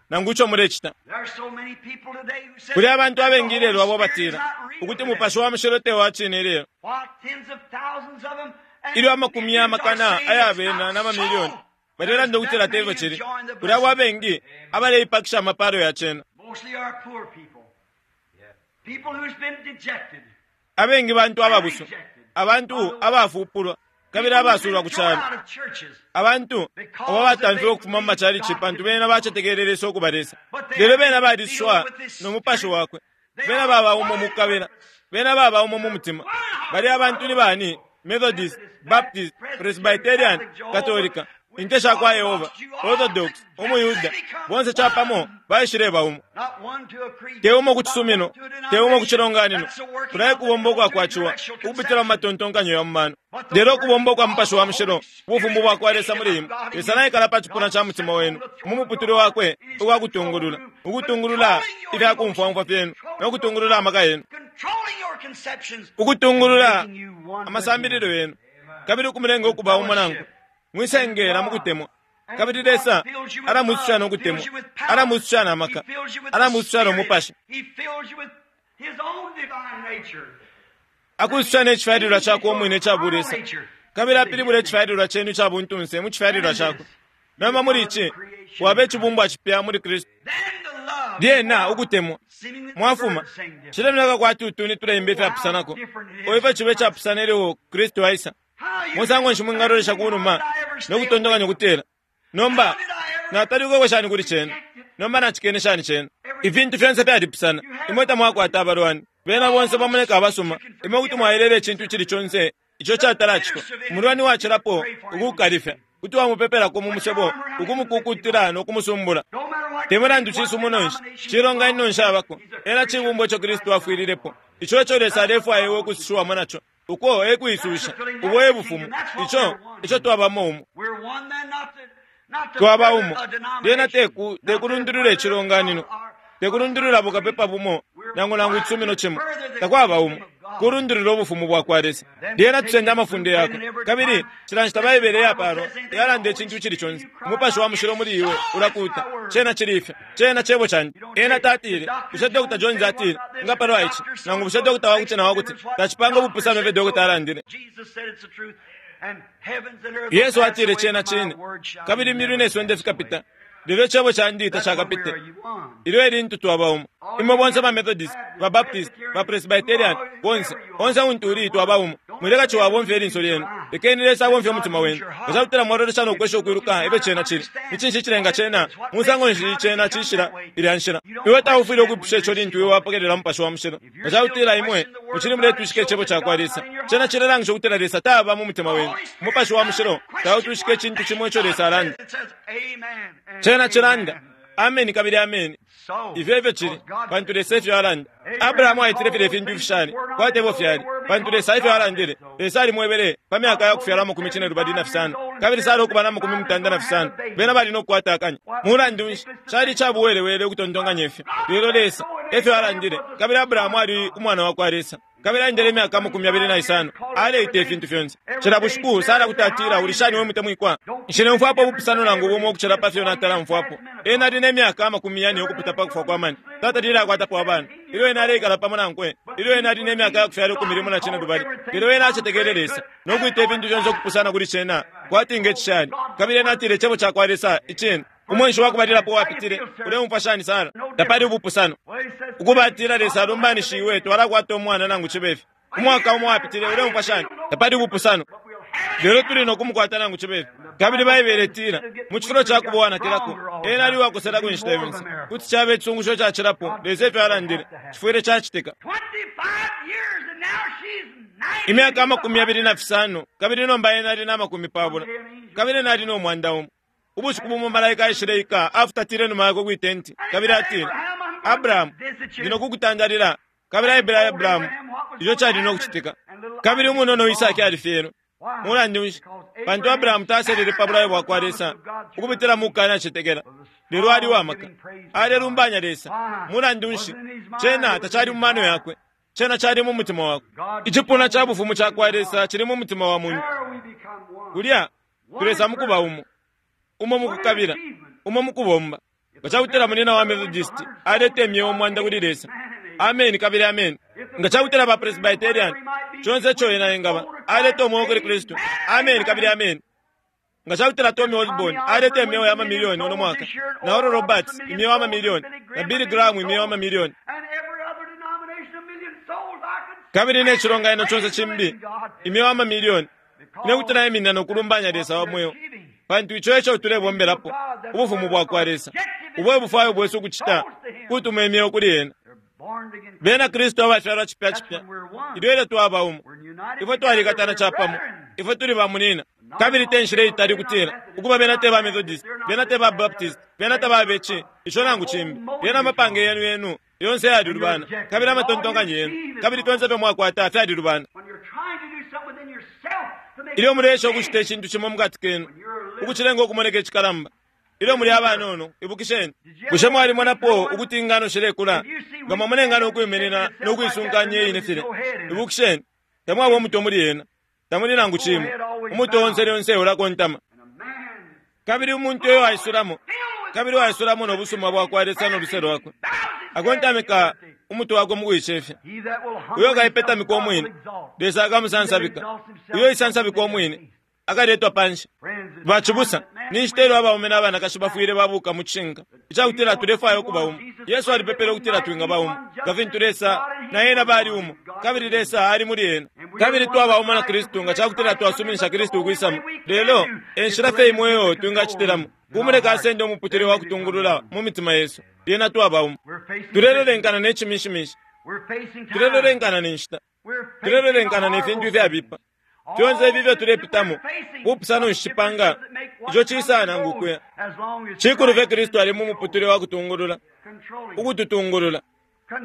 nangu ico mulecita. There are so many people today who say Kuli abantu that the abengi ilelo Holy abo Spirit is batila not real ukuti today. Mupashi wa Mushilo te wa cine ilelo. While tens of thousands of them and Ilyo amakumi millions are y'amakana saying aya it's bena not n'amamiliyoni so. balelanda There's ukutila that tefyo many cili. enjoying the Kuli abo blessing. abengi abaleipakisha amapalo ya cena. Mostly are poor people. People who's been dejected. Abengi bantu ababusu, Rejected. abantu abafupulwa kabili People who's abasulwa been ku thrown calo. out of churches. Abantu abo batamfiwe ukufuma mu macalici pantu bena bacetekelele Lesa ukuba Lesa. Lelo bena baliswa no Mupashi wakwe. Bena baba umo mu kukabila. Bena baba umo mu mutima. Bali abantu ni bani? Methodist, Baptist, Presbyterian, Katolika. Inte sha kwa Yehova, Orthodox, umuYuda, bonse chapamo baishileba umo. Te umo ku cisumino, te umo ku cilonganino, kulaye kubomba ukwa kwaciwa, ukupitila mu matontonkanyo ya mumano. Lelo ukubomba kwa Mupashi wa Mushilo, ubufumu bwa kwa Lesa muli imwe. Lesa naikala pa cipuna ca mutima wenu, mu muputule wakwe uwa kutungulula, ukutungulula ifya kumfwamfwa fyenu, no kutungulula amaka yenu, ukutungulula amasambililo yenu, kabili ukumulenga ukuba umo nankwe. Mwisengela mukutemwa. Kabili Lesa alamwisusha no kutemwa, alamwisusha na maka, alamwisusha no mupashi, akwisusha ne cifyalilwa cakwe umwine ica bulesa, kabili apilibula icifyalilwa cenu ica buntunse mu cifyalilwa cakwe. Nomba muli ici waba icibumbwa cipya muli Kristu. Lyena ukutemwa mwafuma cilemoneka kwati utuni tuleimba ifyapusanako, o ifyo cibe icapusana ilyo Kristu aisa. Musango nshi mwingalolesha kunuma no kutontonkanya ukutila, nomba natalikeko shani kuli cena, nomba nachikene shani cena. Ifintu fyonse fyalipusana. Imwe tamwakwata abalwani, bena bonse bamoneka abasuma. Imwe kuti mwayelela icintu icili conse ico catalacitwa. Umulwani wacilapo ukukalifya kuti wamupepelako mu musebo, ukumukukutila no kumusumbula. Te mulandu cisumuno nshi, cilonganino nshi abako, ena cibumbwa ico Kristu afwililepo, ico eco Lesa alefwaya iwe ukusushiwamo naco. Uko ekwisusha ubo e bufumu, ico ico twabamo umo, twaba umo. Lyena teku tekulundulula icilonganino, tekulundulula bukapepa bumo nangu nangu icisumino cimo, takwaba umo, kulundulula ubufumu bwa kwa Lesa. Lyena tusenda amafunde yakwe, kabili cila nshita Baibele yapalwa yalanda icintu icili conse. Umupashi wa Mushilo muli iwe ulakuta, cena cili ifyo, cena cebo candi. Ena tatile, bushe Doctor Jones atile nga palwa ici, nangu bushe doctor wakuti na wakuti, tacipanga ubupusano ifyo doctor alandile. Yesu atile cena cine, kabili imyulu ne sonde fikapita, lelo icebo candi tacakapite. Ilyo elintu twaba umo. Imwe bonse ba Methodist, ba Baptist, ba Presbyterian, bonse onse untu uli twaba umo. Mwileka ciwabomfya ilinso lyenu, lekeni Lesa abomfye umutima wenu. Nga mwalolesha no kwesha ukwiluka ifyo cena cili, ni cinshi cilenga cena, musango nshi cena cishila ilya nshila. Iwe taufwile ukwipusha ico lintu iwe wapokelela Mupashi wa Mushilo. Nga cakutila imwe mucili muletwishika icebo ca kwa Lesa, cena cilelangisha ukutila Lesa taba mu mutima wenu. Umupashi wa Mushilo tautwishika icintu cimo ico Lesa alanda. Cena cilanda ameni kabili ameni. Ifyo ifyo cili, pantu Lesa ifyo alanda. Abrahamu aitile filya ifintu ifishali kwati efyo fyali, pantu Lesa ifyo alandile. Lesa alimwebele pa myaka ya kufyalwa amakumi cine lubali na fisano, kabili sali ukuba na makumi mutanda na fisano, bena bali no kukwata akanya. Mulandu nshi cali icabuwelewele ukutontonkanya ifyo? Lelo Lesa efyo alandile, kabili Abrahamu ali umwana wa kwa Lesa. Kabili aendele imyaka amakumi abili na isano, aleita ifintu fyonse. Cila bushiku Sara kuti atila, uli shani we mutemwikwa? Nshilemfwapo ubupusano nangu bumo ukucila pa fyo natala mfwapo. Ena ali ne myaka amakumi yane ukupita pa kufwa kwa mani. Tata lile akwatapo abana. Ilyo ena aleikala pamo nankwe, ilyo ena ali ne myaka ya kufyala ikumi limo na cine lubali. Lelo ena acetekele Lesa, no kwita ifintu fyonse ukupusana kuli cena, kwati nge cishani. Kabili ena atile icebo ca kwa Lesa icine. Umwenshi wakubalilapo wapitile, uleumfwa shani Sara? Tapali ubupusano. Ukubatila Lesa alumbanishiwe, twalakwata umwana nangu cibe fyo. Umwaka umo wapitile, uleumfwa shani? Tapali ubupusano. Lelo tuli no kumukwata nangu cibe fyo. Kabili Baibele itila, mu cifulo ca kubowanakilako, ena ali uwakoselako inshita yonse. Kuti caba icisungusho cacilapo, Lesa ifyo alandile, cifwile cacitika. Imyaka amakumi abili na fisano, kabili nomba ena ali na makumi pabula, kabili ena ali no mwanda umo. Ubushiku bumo malaika aishile ika, afutatile numa yakwe kwi tenti, kabili atile, Abrahamu, ndi no kukutandalila. Kabili aebele Abrahamu ico cali no kucitika. Kabili umunono Isaki alifyelwe. Mulandu nshi? Pantu Abrahamu taselele pa bulayo bwa kwa Lesa ukupitila mu kukanacetekela, lelo ali uwamaka, alelumbanya Lesa. Mulandu nshi? Cena tacali mu mano yakwe, cena cali mu mutima wakwe. Icipuna ca bufumu ca kwa Lesa cili mu mutima wa muntu. Kulya tulesa mukuba umo, umo mukukabila, umo mukubomba. Nga cakutila munina wa Methodist aleta imyeo umwanda kuli Lesa, ameni kabili ameni. Nga cakutila ba Presbyterian, conse ico ena engaba, aleta umweo kuli Kristu, ameni kabili ameni. Nga cakutila Tommy Osborne aleta imyeo ya mamilioni uno mwaka, na Oral Roberts imyeo ya mamilioni, na Billy Graham imyeo ya mamilioni, kabili ne cilonganino conse cimbi imyeo ya mamilioni, ine kuti naiminina no kulumbanya Lesa wa mweo, pantu ico eco tulebombelapo, ubufumu bwa kwa Lesa. Ubo ebufwayo bwesu ukucita, kutuma imyeo kuli ena. Bena Kristu abafyalwa cipya cipya, ilyo elyo twaba umo, ifwe twalikatana capamo, ifwe tuli bamunina. Kabili te nshila itali kutila ukuba bena te ba Methodist, bena te ba Baptist, bena te ba beci, ico nangu cimbi. Lyena amapange yenu yenu yonse yalilubana, kabili amatontonkanyo yenu, kabili fyonse fyo mwakwata fyalilubana. Ilyo mulesha ukucita icintu cimo mukati kenu, ukucilenga ukumoneka icikalamba. Ilyo muli abanono, ibukisheni. Bushe mwalimonapo ukuti ingano shilekula? Nga mwamona ingano ukwiminina no kuisunkanya iyine file. Ibukisheni, tamwaba umuto muli yena. Tamuli nangu cimo. Umuto onse lyonse ulakontama. Kabili umuntu uyo aisulamo, kabili waisulamo no busuma bwakwa Lesa no luse lwakwe, akontamika umuto wakwe mu kuicefya. Uyo kaipetamika umwine, Lesa akamusansabika. Uyo isansabika umwine, akaletwa panshi. Bacibusa, ni nshita ilyo abaume n'abanakashi bafwile babuka mu cishinka icakutila tulefwaya ukuba umo. Yesu alipepele ukutila twingaba umo, nga fintu Lesa na ena bali umo, kabili Lesa ali muli ena. Kabili twaba umo na Kristu nga cakutila twasuminisha Kristu ukwisamo. Lelo enshila fye imwe iyo twingacitilamo kumuleka asende umuputule wa kutungulula mu mitima yesu. Lyena twaba umo. Tulelolenkana ne cimishimishi, tulelolenkana ne nshita, tulelolenkana ne fintu ifyabipa. Fyonse ifi ifyo tulepitamo bupusano nshipanga ico cisa nangu kuya. Cikulu fye Kristu ali mu muputule wa kutungulula, ukututungulula,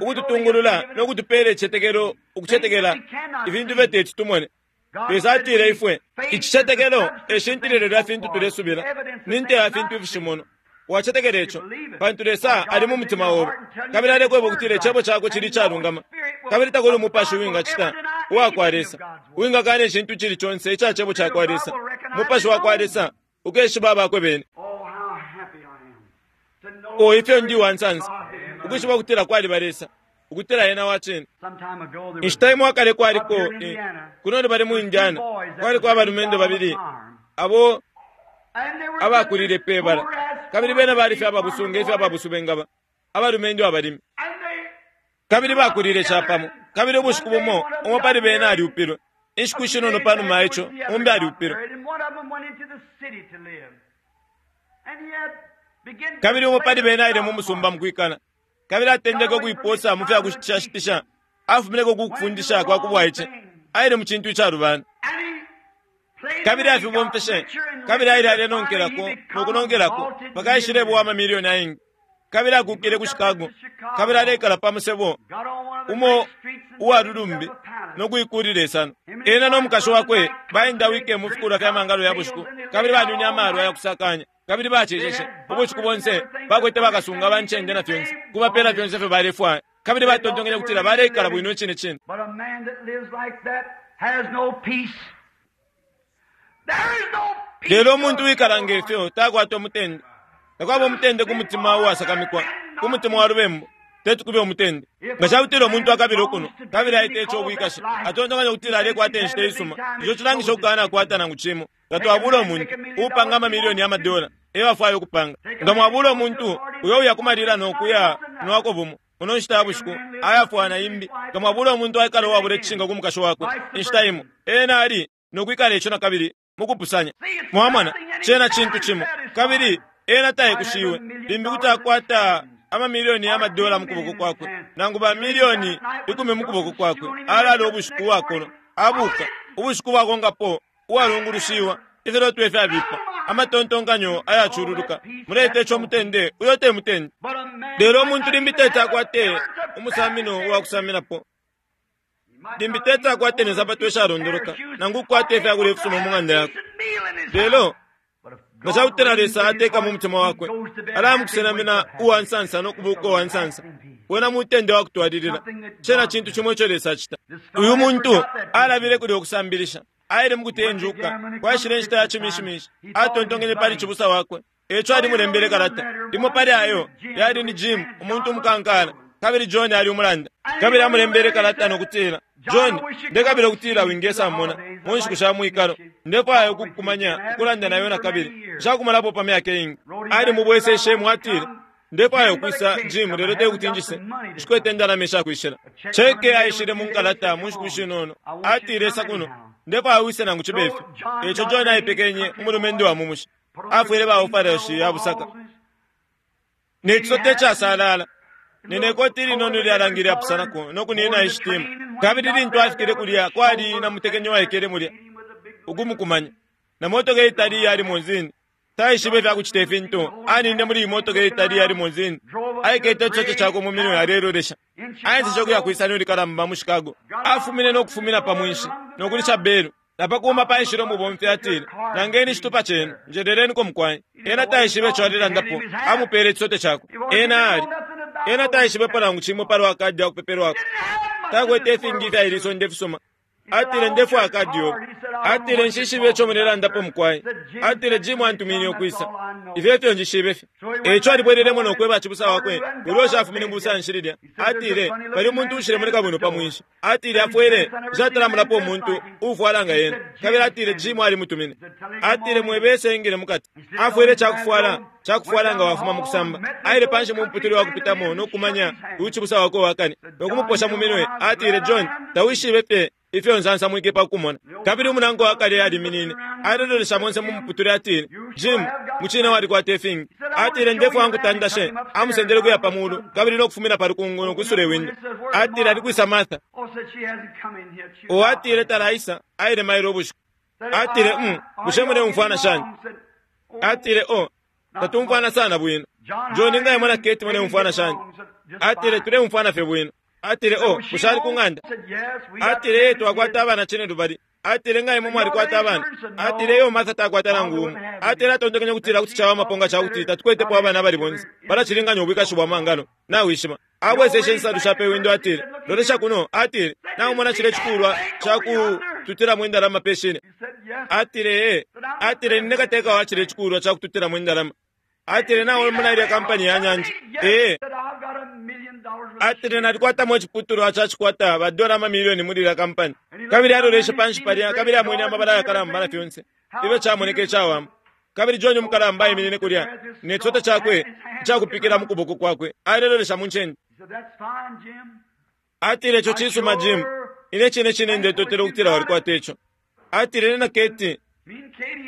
ukututungulula no kutupela icicetekelo, ukucetekela ifintu fye teti tumone. Lesa atile ifwe icicetekelo eshintililo lya fintu tulesubila, ni nte ya fintu ifishimono. Wacetekela ico pantu Lesa ali mu mutima obe, kabili alekweba ukutila icebo cakwe cili icalungama, kabili takuli umupashi uwingacita uwakwa Lesa uwingakana icintu cili conse ica cebo cakwa Lesa. Umupashi wakwa Lesa ukeshiba abakwe bene. O ifyo ndi wansansa ukwishiba ukutila kwaliba Lesa, ukutila ena wa cine. Inshita imo akale kwaliko kuno bali mu Indiana, kwaliko abalumendo babili abo abakulile pe bala, kabili bena bali fye ababusunga ifyo ababusu bengaba, abalumendo abalimi, kabili bakulile capamo. Kabili ubushiku bumo umo pali bena aliupilwe. Inshiku ishinono panuma ico umbi aliupilwe. Kabili umo pali bena aile mu musumba mukwikala, kabili atendeke ukuiposa mu fya kushitisha, afumineko kukufundisha kwa kubwaice, aile mu cintu icalubana. Kabili afibomfeshe, kabili aile alenonkelako nokunonkelako mpaka aishilebwa amamiliyoni aingi. Kabili akukile ku Chicago, kabili alekala pa musebo umo uwalulumbi nokuikulila isano. Ena no mukashi wakwe baendawike mu fikulwa fya mangalo ya bushiku, kabili banwine amalwa ya kusakanya, kabili baceceshe ubushiku bonse. Bakwete bakasunga bancende na fyonse, kubapela fyonse fyo balefwaya, kabili batontonkenye kutila baleikala bwino cine cine. Lelo umuntu wikala ngefyo takwata umutende. Takwaba umutende ku mutima uwasakamikwa, ku mutima wa lubembu teti kube umutende. Nga cakutila umuntu akabila ukuno kabili aita ico ubwikashi, atontonkanya ukutila alekwata inshita isuma, ico cilangisha ukukana akwata nangu cimo. Nga twabula umuntu uupanga amamiliyoni ya madola eyo afwaya ukupanga, nga mwabula umuntu uyo uya kumalila nokuya nwako bumo muno nshita ya bushiku ayafwana imbi, nga mwabula umuntu aikala uwabula icishinka ku mukashi wakwe inshita imo, ena ali nokwikala ico nakabili mukupusanya. Mwamona, cena cintu cimo, kabili ena tayekushiwe. Limbi kuti akwata amamiliyoni ya madola mukuboko kwakwe, nangu ba miliyoni ikumi mukuboko kwakwe, alala ubushiku uwakolo abuka ubushiku bwakonkapo uwalungulushiwa, ifiloto ifyabipa, amatontonkanyo ayacululuka. Muleta ico mutende, uyo te mutende. Lelo umuntu limbi teti akwate umusamino uwakusaminapo, limbi teti akwate ne nsapato ishalondoloka, nangu ukwate ifyakulya ifisuma mu ng'anda yakwe. Lelo nga cakutila Lesa ateka mu mutima wakwe, alamukusenamina uwansansa nokubuka uwansansa, wena mutende wakutwalilila. Cena cintu cimo ico Lesa acita. Uyu muntu alabile kulya ukusambilisha, aile mukutenjuka, kwaishile inshita ya cimishimishi, atontonkenye pali cibusa wakwe, eco alimulembele kalata. Limo pali ayo yali ni Jim, umuntu umukankala, kabili John ali umulanda. Kabili amulembele kalata nokutila, John, ndekabila ukutila wingesa mona mu nshiku sha mwikalo, ndefwaya ukukumanya ukulanda nayo nakabili, nshakumalapo pa myaka iingi. Ali mubweseshe mwatile, ndefwaya ukwisa Jim, lelo tekuti njise, nshikwete indalama ishakwishila. Cheke aishile mu nkalata mu nshiku shinono, atile isa kuno, ndefwaya wise nangu cibe ifyo. Eco John aipekenye umulumendo wa mumushi, afwile baufarashi ya busaka ne cisote casalala nenekoti linono lyalangile apusanako nokunina ishitima. Kabili lintu afikile kulya kwali na mutekenyo waikele mulya ukumukumanya, Na motoka itali ya limousine. Taishibe fya kuchita ifintu. Aninde muri motoka itali ya limousine. Aikete chocho chako mu minwe alelolesha. Ayenze chokuya kuisani ulikalamba mu Chicago. Afumine no kufumina pa mwinshi. No kulisha belu. Napakuma paishilo mubomfi atile. Nangeni chitupa chenu. Njerereni ko mkwai. Ena taishibe chwalilandapo. Amupere chisote chako. Ena ali. Ena taishibe palangu chimwe palwa kadi akupeperwako. Takwete ifingi fya iliso ndefisoma. Atile ndefu akadi yobe. Atile nshishibe chomulelandapo mkwai. Atile Jim antumine okwisa. Ifyo njishibe fye. Echo alibwereremo nokweba chibusa wakwe. Ulosha afumine mbusa nshililya. Atile bali umuntu ushile muri kabuno pa mwinshi. Atile afwele jatalamulapo umuntu ufwalanga yena. Kabili atile Jim ali mutumine. Atile mwebese ingile mukati. Afwele chakufwala chakufwala nga wafuma mukusamba. Aile panshi mu mputuli wa kupitamo nokumanya uchibusa wako wakane. Nokumuposha mu minwe. Atile John tawishibe fye ifyo nsansa mwike pakumona. Kabili umunango wakale aliminine. Alelolesha monse mu mputuli atile Jim muchina walikwata ifingi. Atile ndefu angu tandashe amusendele kuya pamulu kabili nokufumina palukungu nokusula iwindo. Atile alikwisa Martha. O atile talaisa aile mailo ubushiku. Atile mm bushe mune umfwana shani. Atile o tatumfwana sana bwino. John nga imona Kate mune umfwana shani. Atile tule umfwana fye bwino. Atile o bushali kunganda. Atile yetu akwata abana chine lubali. Atile nga imwe mwalikwata abana. Atile yo Martha takwata nangu umu. Atile atondekenya kutira kuti chawa maponga chakuti tatukwetepo abana abali bonse. Balachilinganya ubwikashi bwa mangano. Nawishima. Abweseshe nsalu shape windo atile. Lolesha kuno atile. Naumona chile chikulwa chakututira mwindalama peshine. Atile eh. Atile ninekateka wa chile chikulwa chakututira mwindalama. Atile nawe muna ile kampani ya nyanja. Eh. Atile nalikwata mwe chiputulu achachikwata badola mamilioni muri la kampani. Kabili alolesha panshi palya kabili amwene amabala yakalamba na fyonse. Ibe chamoneke chawama. Kabili John umukalamba iminine kulya. Ne chota chakwe chakupikira mukuboko kwakwe. Alelolesha munchende. Atile cho chisuma Jim. Ine chine chine ndetotera ukutira walikwata icho. Atile na Kate.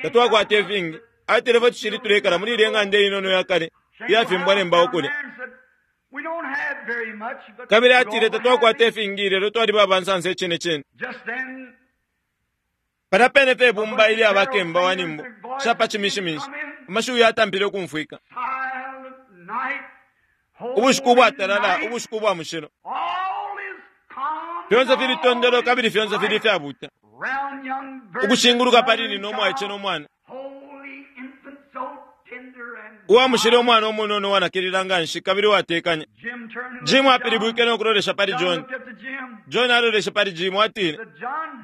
Tatwakwata ifingi. Atile batuchili tulekala muri ile ng'anda inono yakale. Yafimbwa nembawo kulya. Kabili atile tatwakwata ifingi lelo twali babansansa echine chine. Palapene fe bumba ili abakemba wanimbo. Shapa chimishimishi. Amashiwi yatampile okumfwika. Ubushiku bwatalala, ubushiku bwa mushilo. Fyonse fili tondolo kabili fyonse fili fyabuta. Ukushinguluka palini nomwaiche nomwana. Uwa mushilo omwana omunono wanakilila nganshi kabili watekanya. Jim apilibwike nokulolesha pali John. John alolesha pali Jim atile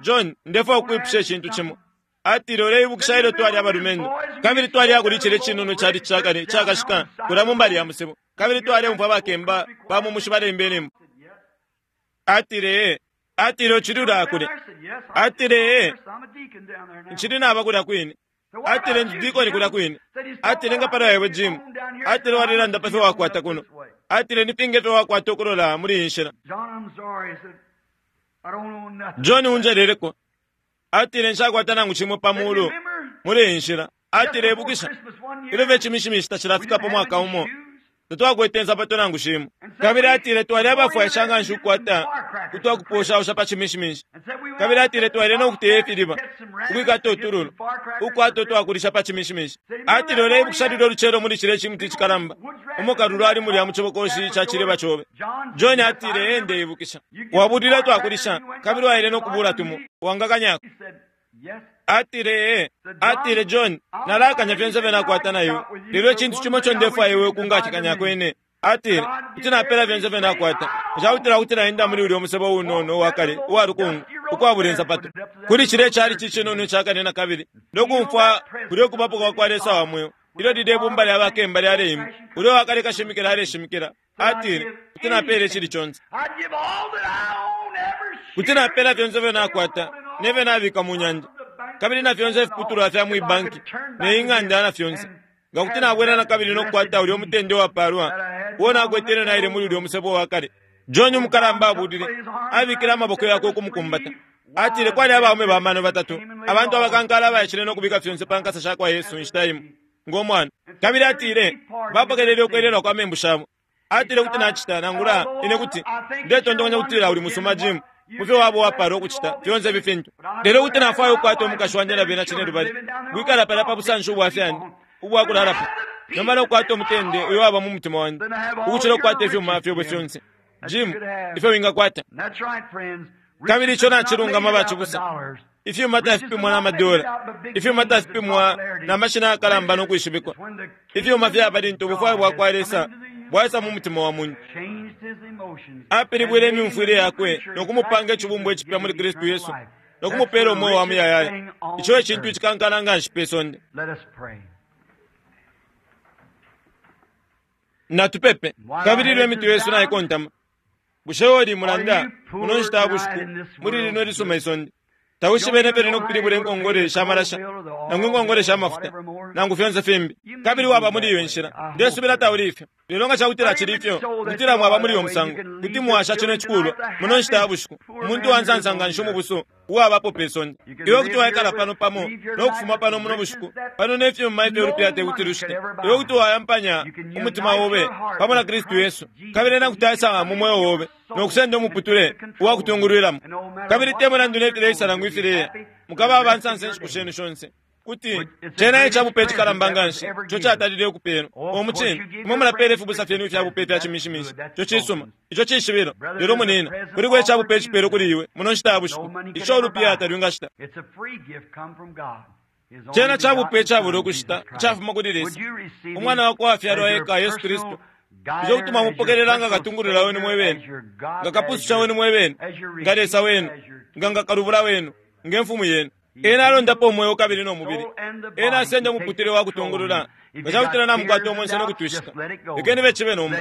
John ndefo okwipusha echintu chimo. Atile oleibukisha ilo twali abalumendo. Kabili twali akulichile chinono chali chakale chakashika kula mumbali ya musebo. Kabili twali umfwa bakemba bamumushi balembe nembo. Atile eh. Atile ochilula akule. Atile eh. Nchili nabakula kwine. Atile ndikoni kula kwine. Atile nga pala yewe Jim. Atile walilanda pafe wakwata kuno. Atile nipinge fe wakwata okulola muri inshila. John unjeleleko. Atile nshakwata nangu chimwe pamulu muri inshila. Atile ebukisha. Ilo ve chimishimishi tachilafikapo mwaka umo. Tatwakwete nsapato nangu shimo. Kabili atile twali abafwaisha nga nshukwata kutwakuposhausha pa chimishimishi. Kabili atile twali nokuteya ifiliba ukwikata otululu ukwata otwakulisha pa chimishimishi. Atile oleibukisha lilo luchelo muli chile chimuti chikalamba. Omukalulu ali mulya mu chibokoshi cha chileba chobe. John atile ende ibukisha. Wabulila twakulisha kabili waile nokubula tumo wangakanyako. Atile eh. Atile John nalakanya fyonse fye nayo. Lelo chintu chimo cho ndefwa iwe kungachikanya kwene. Atile kuti napela fyonse fye nakwata. Chautira kuti naenda muri uli omusebo unono wakale uwalukungu ukwabula ensapato. Kuli chile chali chichinono chakane na kabili. Nokumfwa kuli okubapo kwa kwa Lesa wa mwoyo. Ilo lile bumba lya bakemba lyaleimba. Uli wakale kashimikila aleshimikila. Atile kuti napele chili chonse. Kuti napela fyonse fye nakwata. Neve nabika mu nyanja. Kabili na fyonse ifiputulwa fya mwibanki ne ing'anda na fyonse. Nga kuti nabwera na kabili nokukwata uli omutende wapalwa. Uwo nakwetele naile muli uli omusebo wakale. John umukalamba abulile. Abikile amaboko yakwe okumukumbata. Atile kwali abaume bamano batatu. Abantu abakankala abayishile nokubika fyonse pa nkasa sha kwa Yesu inshita imo. Ng'omwana. Kabili atile bapokelele okwelelwa kwa membu shabo. Atile kuti nachita nangula ine kuti ndetondonya kutila uli musuma Jim. mufyo wabo wapala ukucita fyonse ifi fintu. Lelo kuti nafwaya ukukwata umukashi wandi na bena cine lubali kwikala palya pa busanshi ubwa fyani ubwakulalapo nomba nokukwata umutende uyo waba mu mutima wandi ukucila ukukwata ifyuma fyobe fyonse Jim ifyo wingakwata. Kabili ico nacilungama bacibusa. Ifyuma tafipimwa na madola, ifyuma tafipimwa na mashina yakalamba no kwishibikwa. Ifyuma fyaba lintu ubufwayo bwa kwa Lesa bwaisa mu mutima wa muntu. Apilibwile imyumfwile yakwe no kumupanga icibumbwa icipya muli Kristu Yesu no kumupela umweo wa muyayaya. Ico e cintu icikankala nga nshi pe sonde. Natupepe. Kabili ilyo imitwe yesu naikontama, bushe oli mulanda muno nshita ya bushiku muli lino lisuma isonde tawishibene pene nokupilibula inkongole shamalasha nangu inkongole shamafuta nangu fyonse fimbi, kabili waba muli iyo nshila. Ndesubila tauli ifyo, lelo nga cakutila cili ifyo kutila mwaba muli iyo musango kuti mwasha cino icikulwa muno nshita ya bushiku. Umuntu wansansa nga nshi umubusu uwabapo pe sonde, iwe kuti waikala pano pamo nokufuma pano muno bushiku pano nefyuma ifyo ulupila tekuti lushite. Iwe kuti wayampanya umutima obe pamo na Kristu Yesu, kabili ena kuti aisanga mu mweo obe nokusenda umuputule uwakutungulwilamo. Kabili te mulandu nefileisa nangu ifileya, mukaba abansansa inshiku shenu shonse kuti cena icabupe icikalamba nga nshi ico catalile ukupelwa. Omucine imwe mulapela ifibusa fyenu ifyabupe ifya cimishimishi, ico cisuma, ico cishibilo. Lelo munina kuliko icabupe icipelo kuli iwe muno nshita ya bushiku ico ulupiya talwingashita. Cena cabupe icabula ukushita icafuma kuli Lesa, umwana wakwe wafyalwa eka Yesu Kristu, ico kuti mwamupokelela nga katungulula wenu mwebene, nga kapususha wenu mwebene, nga Lesa wenu, nga nga kalubula wenu, nga mfumu yenu. Ena alondapo umweo kabili no mubili. Ena asenda umuputule wa kutungulula nga cakutila namukwata umwenso nokutwishika. Lekeni becibe nomba,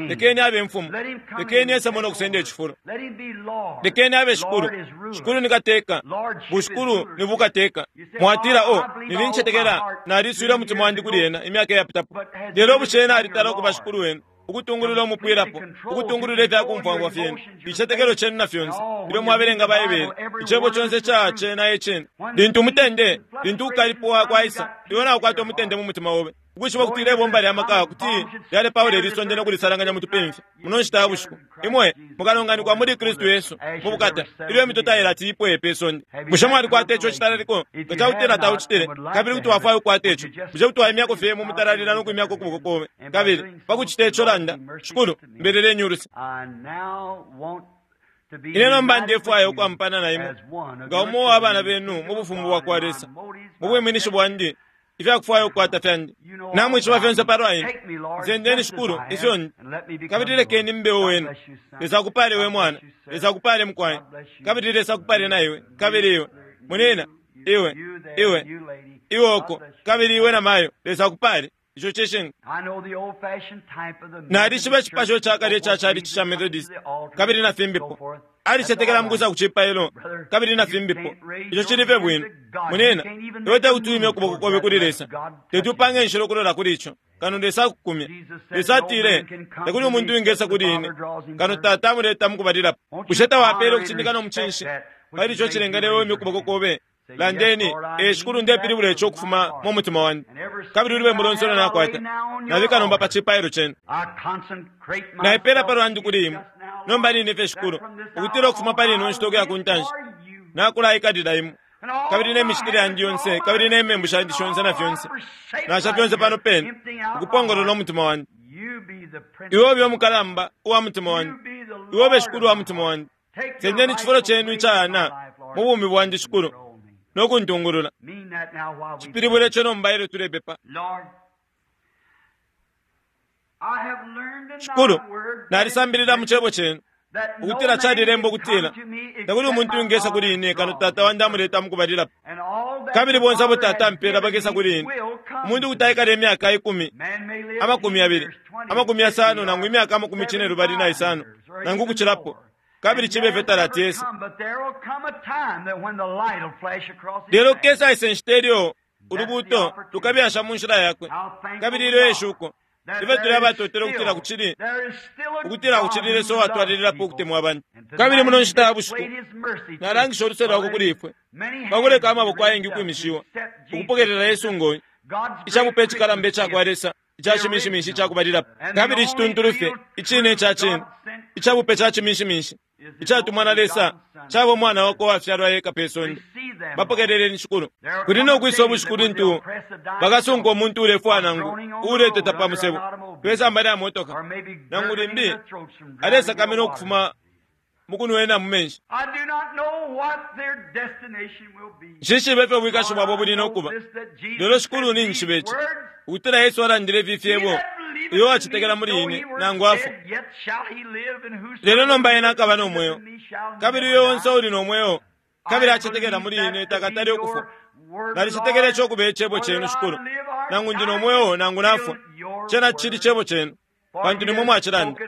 lekeni abe mfumu, lekeni esamo nokusenda icifulo, lekeni abe shikulu. Shikulu ni kateka, bushikulu ni bukateka. Mwatila, o nilincetekela naliswile umutima wandi kuli ena imyaka iyapitapo, lelo bushe ena alitala ukuba shikulu wenu, ukutungulula umupwilapo, ukutungulula ifyakumfwangwa fyenu, icicetekelo cenu na fyonse ilyo mwabelenga Baibele, icebo conse ca cena ecene. Lintu umutende, lintu ukukalipuwa kwaisa, iwe naukwata umutende mu mutima obe, ukwishiba kuti ilebomba lya maka kuti lyalepaula ilisonde nokulisalanganya mutupimfya muno nshita ya bushiku. Imwe mukalonganikwa muli Kristu Yesu mu bukata ilyo imitota ilati ipweye pe sonde. Bushe mwalikwata ico citalaliko? Nga cakutila taucitile, kabili kuti wafwaya ukukwata ico, bushe kuti waimyako fye mu mutalalila nokwimyako ukuboko kobe? Kabili pakucita ico landa, Shikulu, mbeleleni uluse. Ine nomba ndefwaya ukwampana na imwe nga umo wa bana benu mu bufumu bwa kwa Lesa, mu bwiminishi bwandi, ifyakufwaya ukukwata fyandi namwishiba fyonse palwa ine. Nsendeni Shikulu ifyo ndi, kabili lekeni mbe wenu. Lesa akupale we mwana, Lesa akupale mukwai, kabili Lesa akupale na iwe, kabili iwe munina, iwe iwe iwe oko, kabili iwe na mayo. Lesa akupale. Ico cishinka. Nalishiba icipasho cakale ica chalichi ca Methodist kabili na fimbipo. Alicetekela mukusa kucipailo kabili na fimbipo. Ico cili fye bwino. Munina, iwe tekuti uimye ukuboko kobe kuli Lesa, teti upange inshila ukulola kuli ico kano Lesa akukumya. Lesa atile, tekuli umuntu wingesa kuli ine kano Tata amuleta mukubalilapo. Bushe tawapele ukucindika no mucinshi pali ico cilengele iwe uimye ukuboko kobe? Landeni, e Shikulu, ndepilibula ico ukufuma mu mutima wandi, kabili ulubembu lonse ulo nakwata nabika nomba pa cipailo cenu. Naipela palwandi kuli imwe nomba nine fye Shikulu, ukutila ukufuma pali ino nshita ukuya ku ntanshi nakulaikalila imwe, kabili ne micitile yandi yonse, kabili ne membu shandi shonse na fyonse nasha fyonse pano pene, ukupongolola umutima wandi. Iwe ube umukalamba uwa mutima wandi, iwe ube Shikulu wa mutima wandi. Sendeni icifulo cenu icayana mu bumi bwandi Shikulu, nokuntungulula. Cipilibule ico nomba ilyo tulepepa. Shikulu, nalisambilila mu cebo cenu ukutila calilemba ukutila takuli umuntu wingesa kuli ine kano Tata wandi amuleta mukubalilapo, kabili bonse abo Tata ampela bakesa kuli ine. Umuntu kuti aikala imyaka ikumi, amakumi yabili, amakumi yasano, nangu imyaka amakumi cine lubali na isano, nangu ukucilapo, kabili cibe fye talati yesa. Lelo kesa ise nshita ilyo ulubuto lukabyasha mu nshila yakwe, kabili ilyo eshuko ife tuli abatotela ukutila kucili ukutila kucili Lesa uwatwalililapo ukutemwa abantu. Kabili muno nshita ya bushiku nalangisha uluse lwakwe kuli ifwe pakuleka amaboko ayengi ukwimishiwa ukupokelela Yesu ngoyi icabupe icikalamba icakwa Lesa ica cimishimishi icakubalilapo, kabili icituntulu fye icine ica cine icabupe ca cimishimishi Icatumwa na Lesa caba umwana wakwe wafyalwa eka pe sonde. Bapokeleleni Shikulu. Kuli no kwisa ubushiku lintu bakasunka umuntu ulefwa nangu uleteta pa musebo pesamba lya motoka nangu limbi alesakamena ukufuma mukunwena mu menshi. Nshishibe ifyo ubwikashi bwabo buli nokuba, lelo Shikulu ninjishiba ici, ukutila Yesu alandile ifi fyebo, uyo wacetekela muli ine nangu afwa, lelo nomba ena akaba no mweo, kabili uyo onse uli no mweo kabili acetekela muli ine takatale ukufwa. Nalicetekela ico kuba icebo cenu Shikulu, nangu ndi no mweo nangu nafwa, cena cili cebo cenu, pantu nimwe mwacilanda.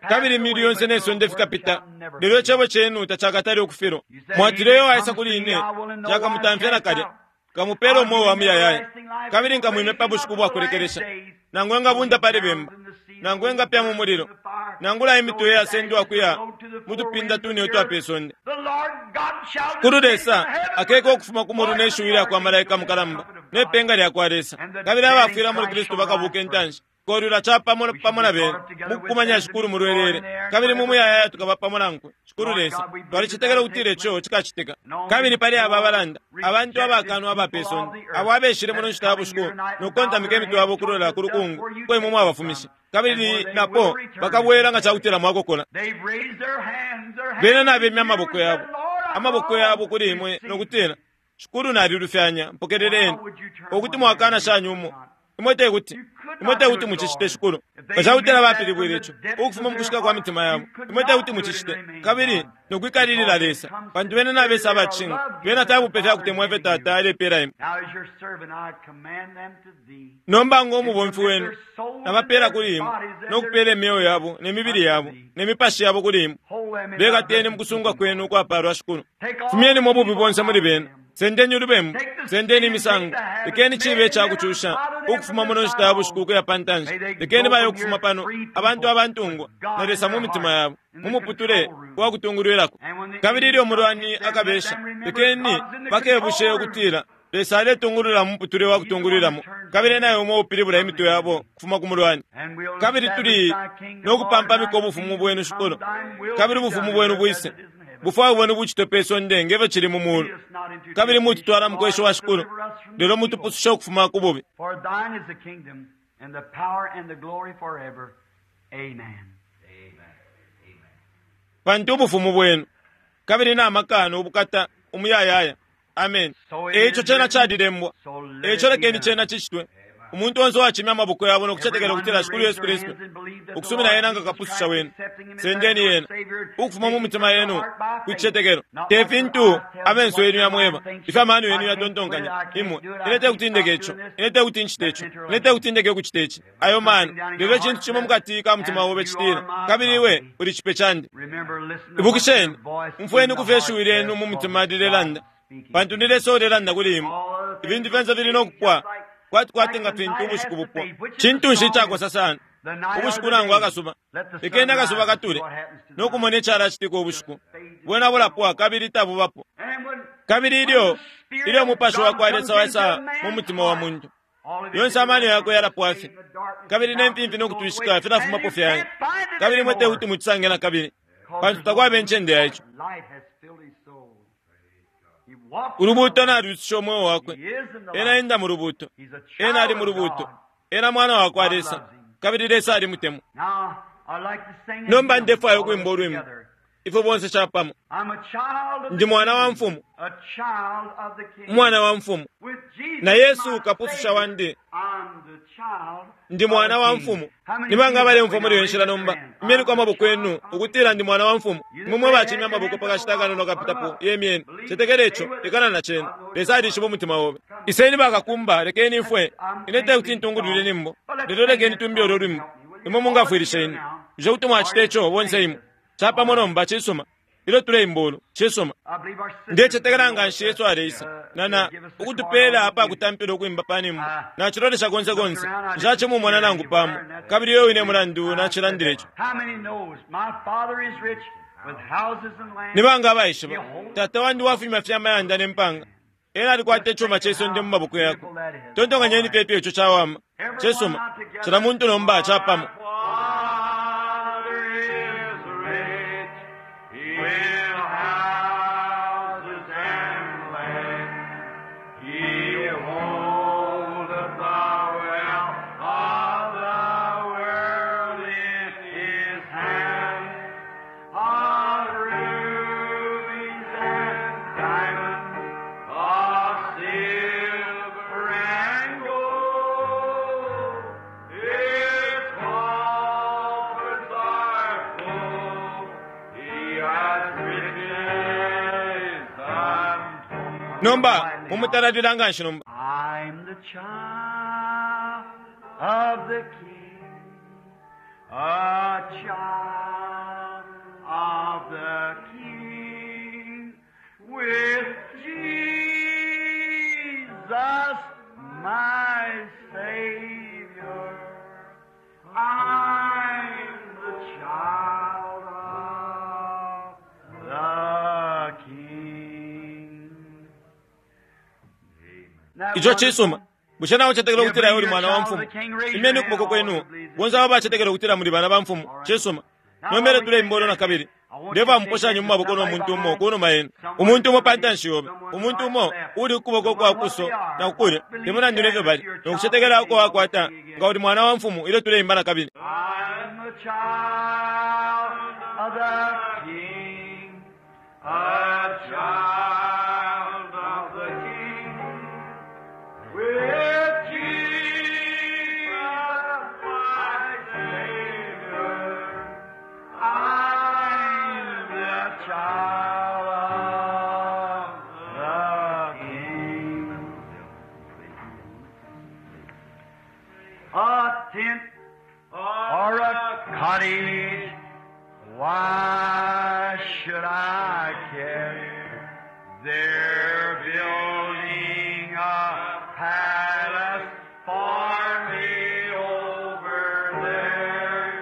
Kabili imili yonse ne sonde fikapita, lelo icebo cenu tacakatale ukufilwa. Mwatile uyo waisa kuli ine nshakamutamfya nakalya, nkamupela umweo wa muyayaya, kabili nkamwime pa bushiku bwakulekelesha. Nangu engabunda pali bemba, nangu engapya mu mulilo, nangula imitwe yasendwa kuya mutupinda tune utwa pe sonde. Shikulu Lesa akeka ukufuma ku mulu ne shiwi lya kwa malaika mukalamba ne penga lya kwa Lesa, kabili abafwila muli Kristu bakabuka intanshi. Kolula chapamo pamo na bena mukukumanya Shikulu mulwelele, kabili mu muyayaya tukaba pamo nankwe. Shikulu Lesa, twalicetekela ukutila ico cikacitika. Kabili pali aba abalanda, abantu abakanwa aba pe sonde, abo abeshile muno nshita ya bushiku nokukontamika imitwe yabo ukulola ku lukungu uko imwe mwabafumishe, kabili napo bakabwela nga cakutila mwakokola. Bena nabemya amaboko yabo, amaboko yabo kuli imwe nokutila, Shikulu nalilufyanya, mpokeleleni, ukuti mwakana shani umo. Imwe tekuti, imwe tekuti mucicite Shikulu. Nga cakutila bapilibwile ico ukufuma mukushika kwa mitima yabo, imwe tekuti mucicite, kabili nokwikalilila Lesa, pantu bena nabesa abacinga, bena tabupe fyakutemwa ifyo Tata alepela imwe. Nomba ngo mubomfi wenu nabapela kuli imwe, nokupela imyeo yabo ne mibili yabo ne mipashi yabo kuli imwe. Bekateni mukusunga kwenu ukwapalwa Shikulu. Fumyenimo ububi bonse muli bena. Sendeni ulubembu, sendeni imisango, lekeni cibe icakucusha ukufuma muno nshita ya bushiku ukuya pa ntanshi. Lekeni baye ukufuma pano abantu abantungwa na Lesa mu mitima yabo, mu muputule wakutungulwilako. Kabili ilyo umulwani akabesha, lekeni bakebushe ukutila Lesa aletungulula mu muputule wakutungulwilamo, kabili naye umo upilibula imitwe yabo kufuma ku mulwani. Kabili tuli nokupampamika ubufumu bwenu Shikulu, kabili ubufumu bwenu bwise, bufwayo bwenu bucitwe pe sonde ngefyo cili mu mulu. Kabili mututwala mukwesho wa Shikulu, lelo mutupususha ukufuma ku bubi. Pantu ubufumu bwenu kabili na maka no bukata umuyayaya. Amen. Eico cena calilembwa, eico lekeni cena cicitwe. Umuntu onse uwacimya amaboko yabo nokucetekela ukutila Shikulu Yesu Kristu, ukusumina yena nga kapususha wenu, sendeni yena ukufuma mu mitima yenu ku cicetekelo. Te fintu amenso yenu yamweba, ifyo amano yenu yatontonkanya imwe. Ine tekuti ndeke ico, ine tekuti ncite ico, ine tekuti ndeke ukucita ici. Ayo mano, lelo icintu cimo mukati ka mutima obe citila, kabili iwe uli cipe candi. Ibukisheni, umfweni kufyo ishiwi lyenu mu mutima lilelanda, pantu ni Lesa ulelanda kuli imwe. Ibintu fyonse fili nokupwa kwati kwati nga fintu ubushiku bupwa. Cintu nshi icakosa sana, ubushiku nangu akasuba? Lekeni akasuba katule nokumona icalacitika ubushiku. Bwena bulapwa kabili tabubapo. Kabili ilyo ilyo umupashi wakwa Lesa waisa mu mutima wa muntu, yonse amano yakwe yalapwa fye, kabili ne mfimfi nokutwishika filafumapo fyanya, kabili imwe tekuti mucisange na kabili, pantu takwaba incende ya ico. Ulubuto nalwisusha umweo wakwe. Ena enda mu lubuto, ena ali mu lubuto, ena mwana wakwa Lesa, kabili Lesa alimutemwa. Nomba ndefwaya ukwimba ulwimbo ifwe bonse capamo. Ndi mwana wa mfumu, umwana wa mfumu, na Yesu kapususha wandi. Ndi mwana wa mfumu. Nibanga abalemfwa muli iyo nshila nomba, imyeniko amaboko yenu ukutila ndi mwana wa mfumu. Imwe mwe bacimya amaboko pakashita akanono kapitapo yemyeni. Cetekela ico, lekana na cena. Lesa alishiba umutima obe. Iseni bakakumba, lekeni ifwe. Ine tekuti ntungulwile nimbo, lelo lekeni tumbi ulwo lwimbo. Imwe mungafwilisha ine. Bushe kuti mwacita ico bonse imwe? Capamo nomba cisuma. Ilyo tuleimba ulu, cisuma. Ndecetekela nga nshi Yesu aleisa nana ukutupela apakutampila ukwimba pa nimbo. Nacilolesha konse konse, nshacimumona nangu pamo, kabili iyo wine mulandu nacilandile ico. Nibanga abaishiba, Tata wandi wafumya fye amayanda ne mpanga, ena alikwata icuma ce sonde mu maboko yakwe. Tontonkanyeni fye ifyo ico cawama. Cisuma, cila muntu nomba capamo. Father is rich. Nomba mumutalalila nganshi nomba. I'm the child of the King, a child of the King, with Jesus my Savior. I'm the child of the King. Ico cisuma. Bushe nawe ucetekela ukutila iwe uli mwana wa mfumu? Imeni ukuboko kwenu. Bonse abo bacetekela ukutila muli bana ba mfumu. Cisuma. Nomere tuleimbolo na kabili. Ndeva muposhanya mu maboko no muntu umo kunuma yenu. Umuntu umo pantanshi yobe. Umuntu umo uli ukuboko kwa kuso na kukulya. Temulandu nefyo bali. Nokucetekela uko wakwata nga uli mwana wa mfumu ilyo tuleimba na kabili. I'm a child of the King, a child of the King, with Jesus my Savior. I'm the child of the King. A tent or a cottage, why should I care? They're building a palace for me over there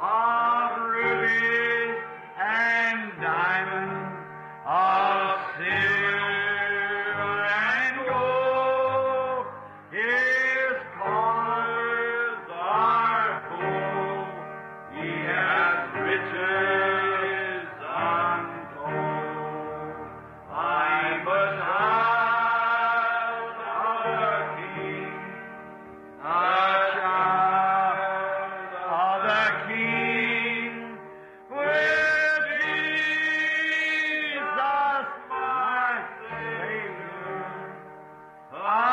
of rubies and diamonds, of silver and gold. His coffers are full. He has riches untold. I'm a child of the King, a child of the King, with Jesus my Savior. I'm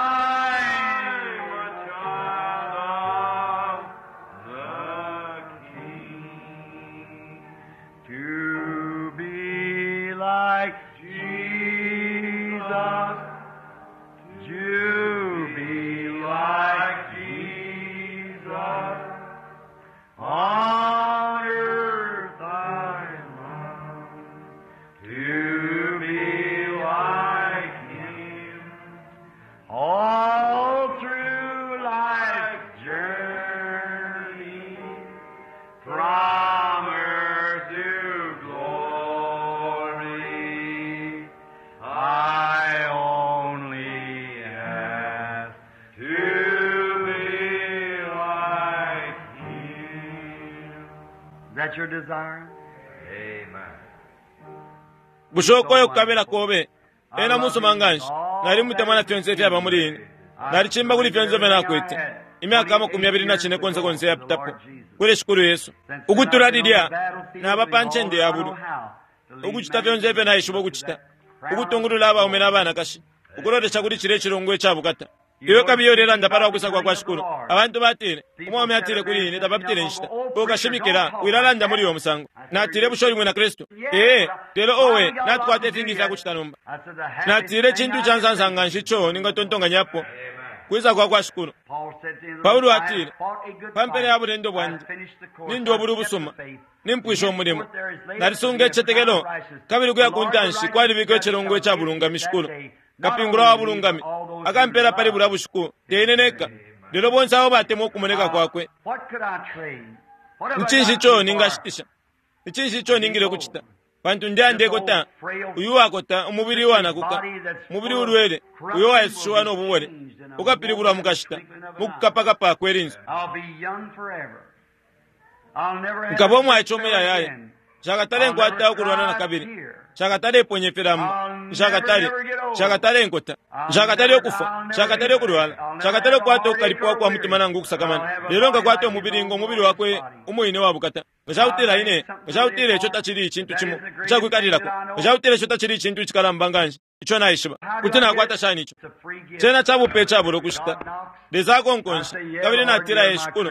a child of the King. To be like Jesus, to be like Jesus, on earth I long to be like Him. All through life's journey, from earth to glory, I only ask to be like Him. Is that your desire? Amen. Bushe ukoyo kukabila kobe. Ena musuma nganshi. Nali mutemwa na fyonse ifyaba muli ine. Nalicimba kuli fyonse ifyo nakwete. Imyaka amakumi abili na cine konse konse yapitapo. Kuli Shikulu Yesu. Ukutula lilya naba pa ncende ya bulu. Ukucita fyonse ifyo naishiba ukucita. Ukutungulula abaume n'abanakashi. Ukulolesha kuli cile icilongo icabukata. Iwe kabili ulelanda palwa kwisa kwa kwa Shikulu. Abantu batile, umwaume atile kuli ine tabapitile inshita. Ukashimikila, wilalanda muli uyo musango. Natile bushe uli mwina Kristu? Ee, lelo owe, natukwata ifingi ifyakucita nomba. Natile cintu ca nsansa nganshi ico ningatontonganyapo. Kwisa kwa kwa Shikulu. Paulo atile, pa mpela ya bulendo bwandi, nindwa buli busuma, nimpwisha umulimo. Nalisunga icicetekelo, kabili kuya ku ntanshi kwalibikwa icilongo ica bulungami Shikulu. Kapingula wa bulungami, akampela pali bulya bushiku, teine neka. Lelo bonse abo batemwa ukumoneka kwakwe. What could I trade? What have Ni I cinshi got ico so ningashitisha? Ni cinshi ico ningile kucita? Pantu ndyandekota, uyu wakota umubili wanakuka, umubili ulwele, uyo wayesushiwa n'obubole, ukapilibulwa mukashita, mukukapakapa kwelinso. I'll be young forever. I'll never have Nkaba omwaice to omuyayaya, again. nshakatale nkwata ukulwana na kabili, nshakatale iponye filambo, nshakatale, nshakatale nkota, nshakatale ukufa, nshakatale ukulwala, nshakatale ukukwata ukukalipwa kwa mutima nangu ukusakamana. Lelo nkakwata umubili ngo umubili wakwe umwine wabukata. Nga cakutila ine, nga cakutila ico tacili icintu cimo icakwikalilako, nga cakutila ico tacili icintu icikalamba nganshi, ico naishiba. Kuti nakwata shani ico? It's a free gift. Cena cabupe icabula ukushita. Lesa akonkonsha, kabili natila ye Shikulu,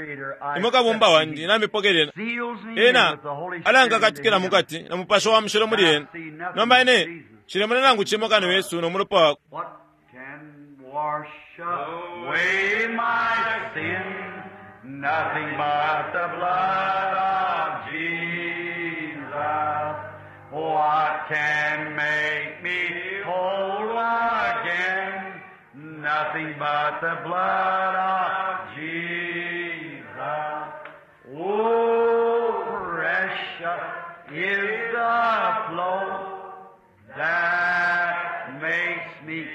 imwe kabumba wandi namipokelela. Seals me in Ena with the Holy Spirit alankakatikila in him. mukati na mupasho wa mushilo muli ena. Nomba ine Nshilemona nangu cimo kano Yesu no mulopa wakwe. What can wash away my sin? Nothing but the blood of Jesus. What can make me whole again? Nothing but the blood of Jesus. Oh, precious is the flow that makes me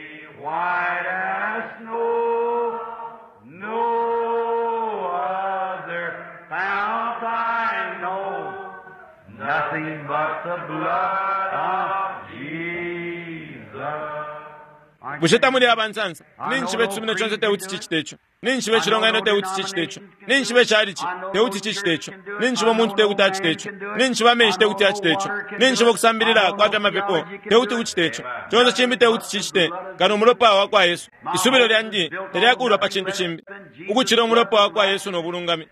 white as snow. No other fount I know, nothing but the blood of Jesus. Bushe tamuli abansansa? Ninshi cisumino conse tekuti cicite ico. Ninshi icilonganino tekuti cicite ico. Ninshi icalici tekuti cicite ico. Ninshi umuntu tekuti acite ico. Ninshi amenshi tekuti acite ico. Ninshi ukusambilila kwa fya mapepo tekuti kucite ico. Conse cimbi tekuti cicite kano umulopa wa kwa Yesu. Isubilo lyandi talyakulwa pa cintu cimbi ukucila umulopa wa kwa Yesu no bulungami.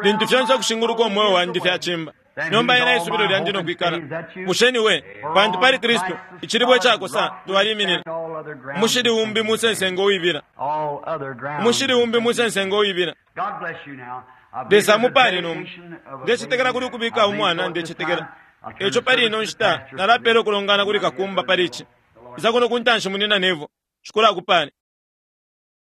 Lintu fyonse ukushinguluka umweo wandi fyacimba. Nomba ena isubilo lyandi no kwikala. Bushe ni we, pantu pali Kristu icilibwe icakosa twaliminina. Umushili umbi musensenga uwibila. All other ground. Umushili umbi musensenga uwibila. God bless you now. I believe Lesa there's a amupale nomba. dedication of a Ndecetekela baby. kuli ukubika I believe umwana so at this ndecetekela. time. I'll turn Eco the pali ino service to the nshita pastor. nalapela ukulongana kuli kakumba pali ici. Isa kuno kuntanshi munina nevo. Shikulu akupale.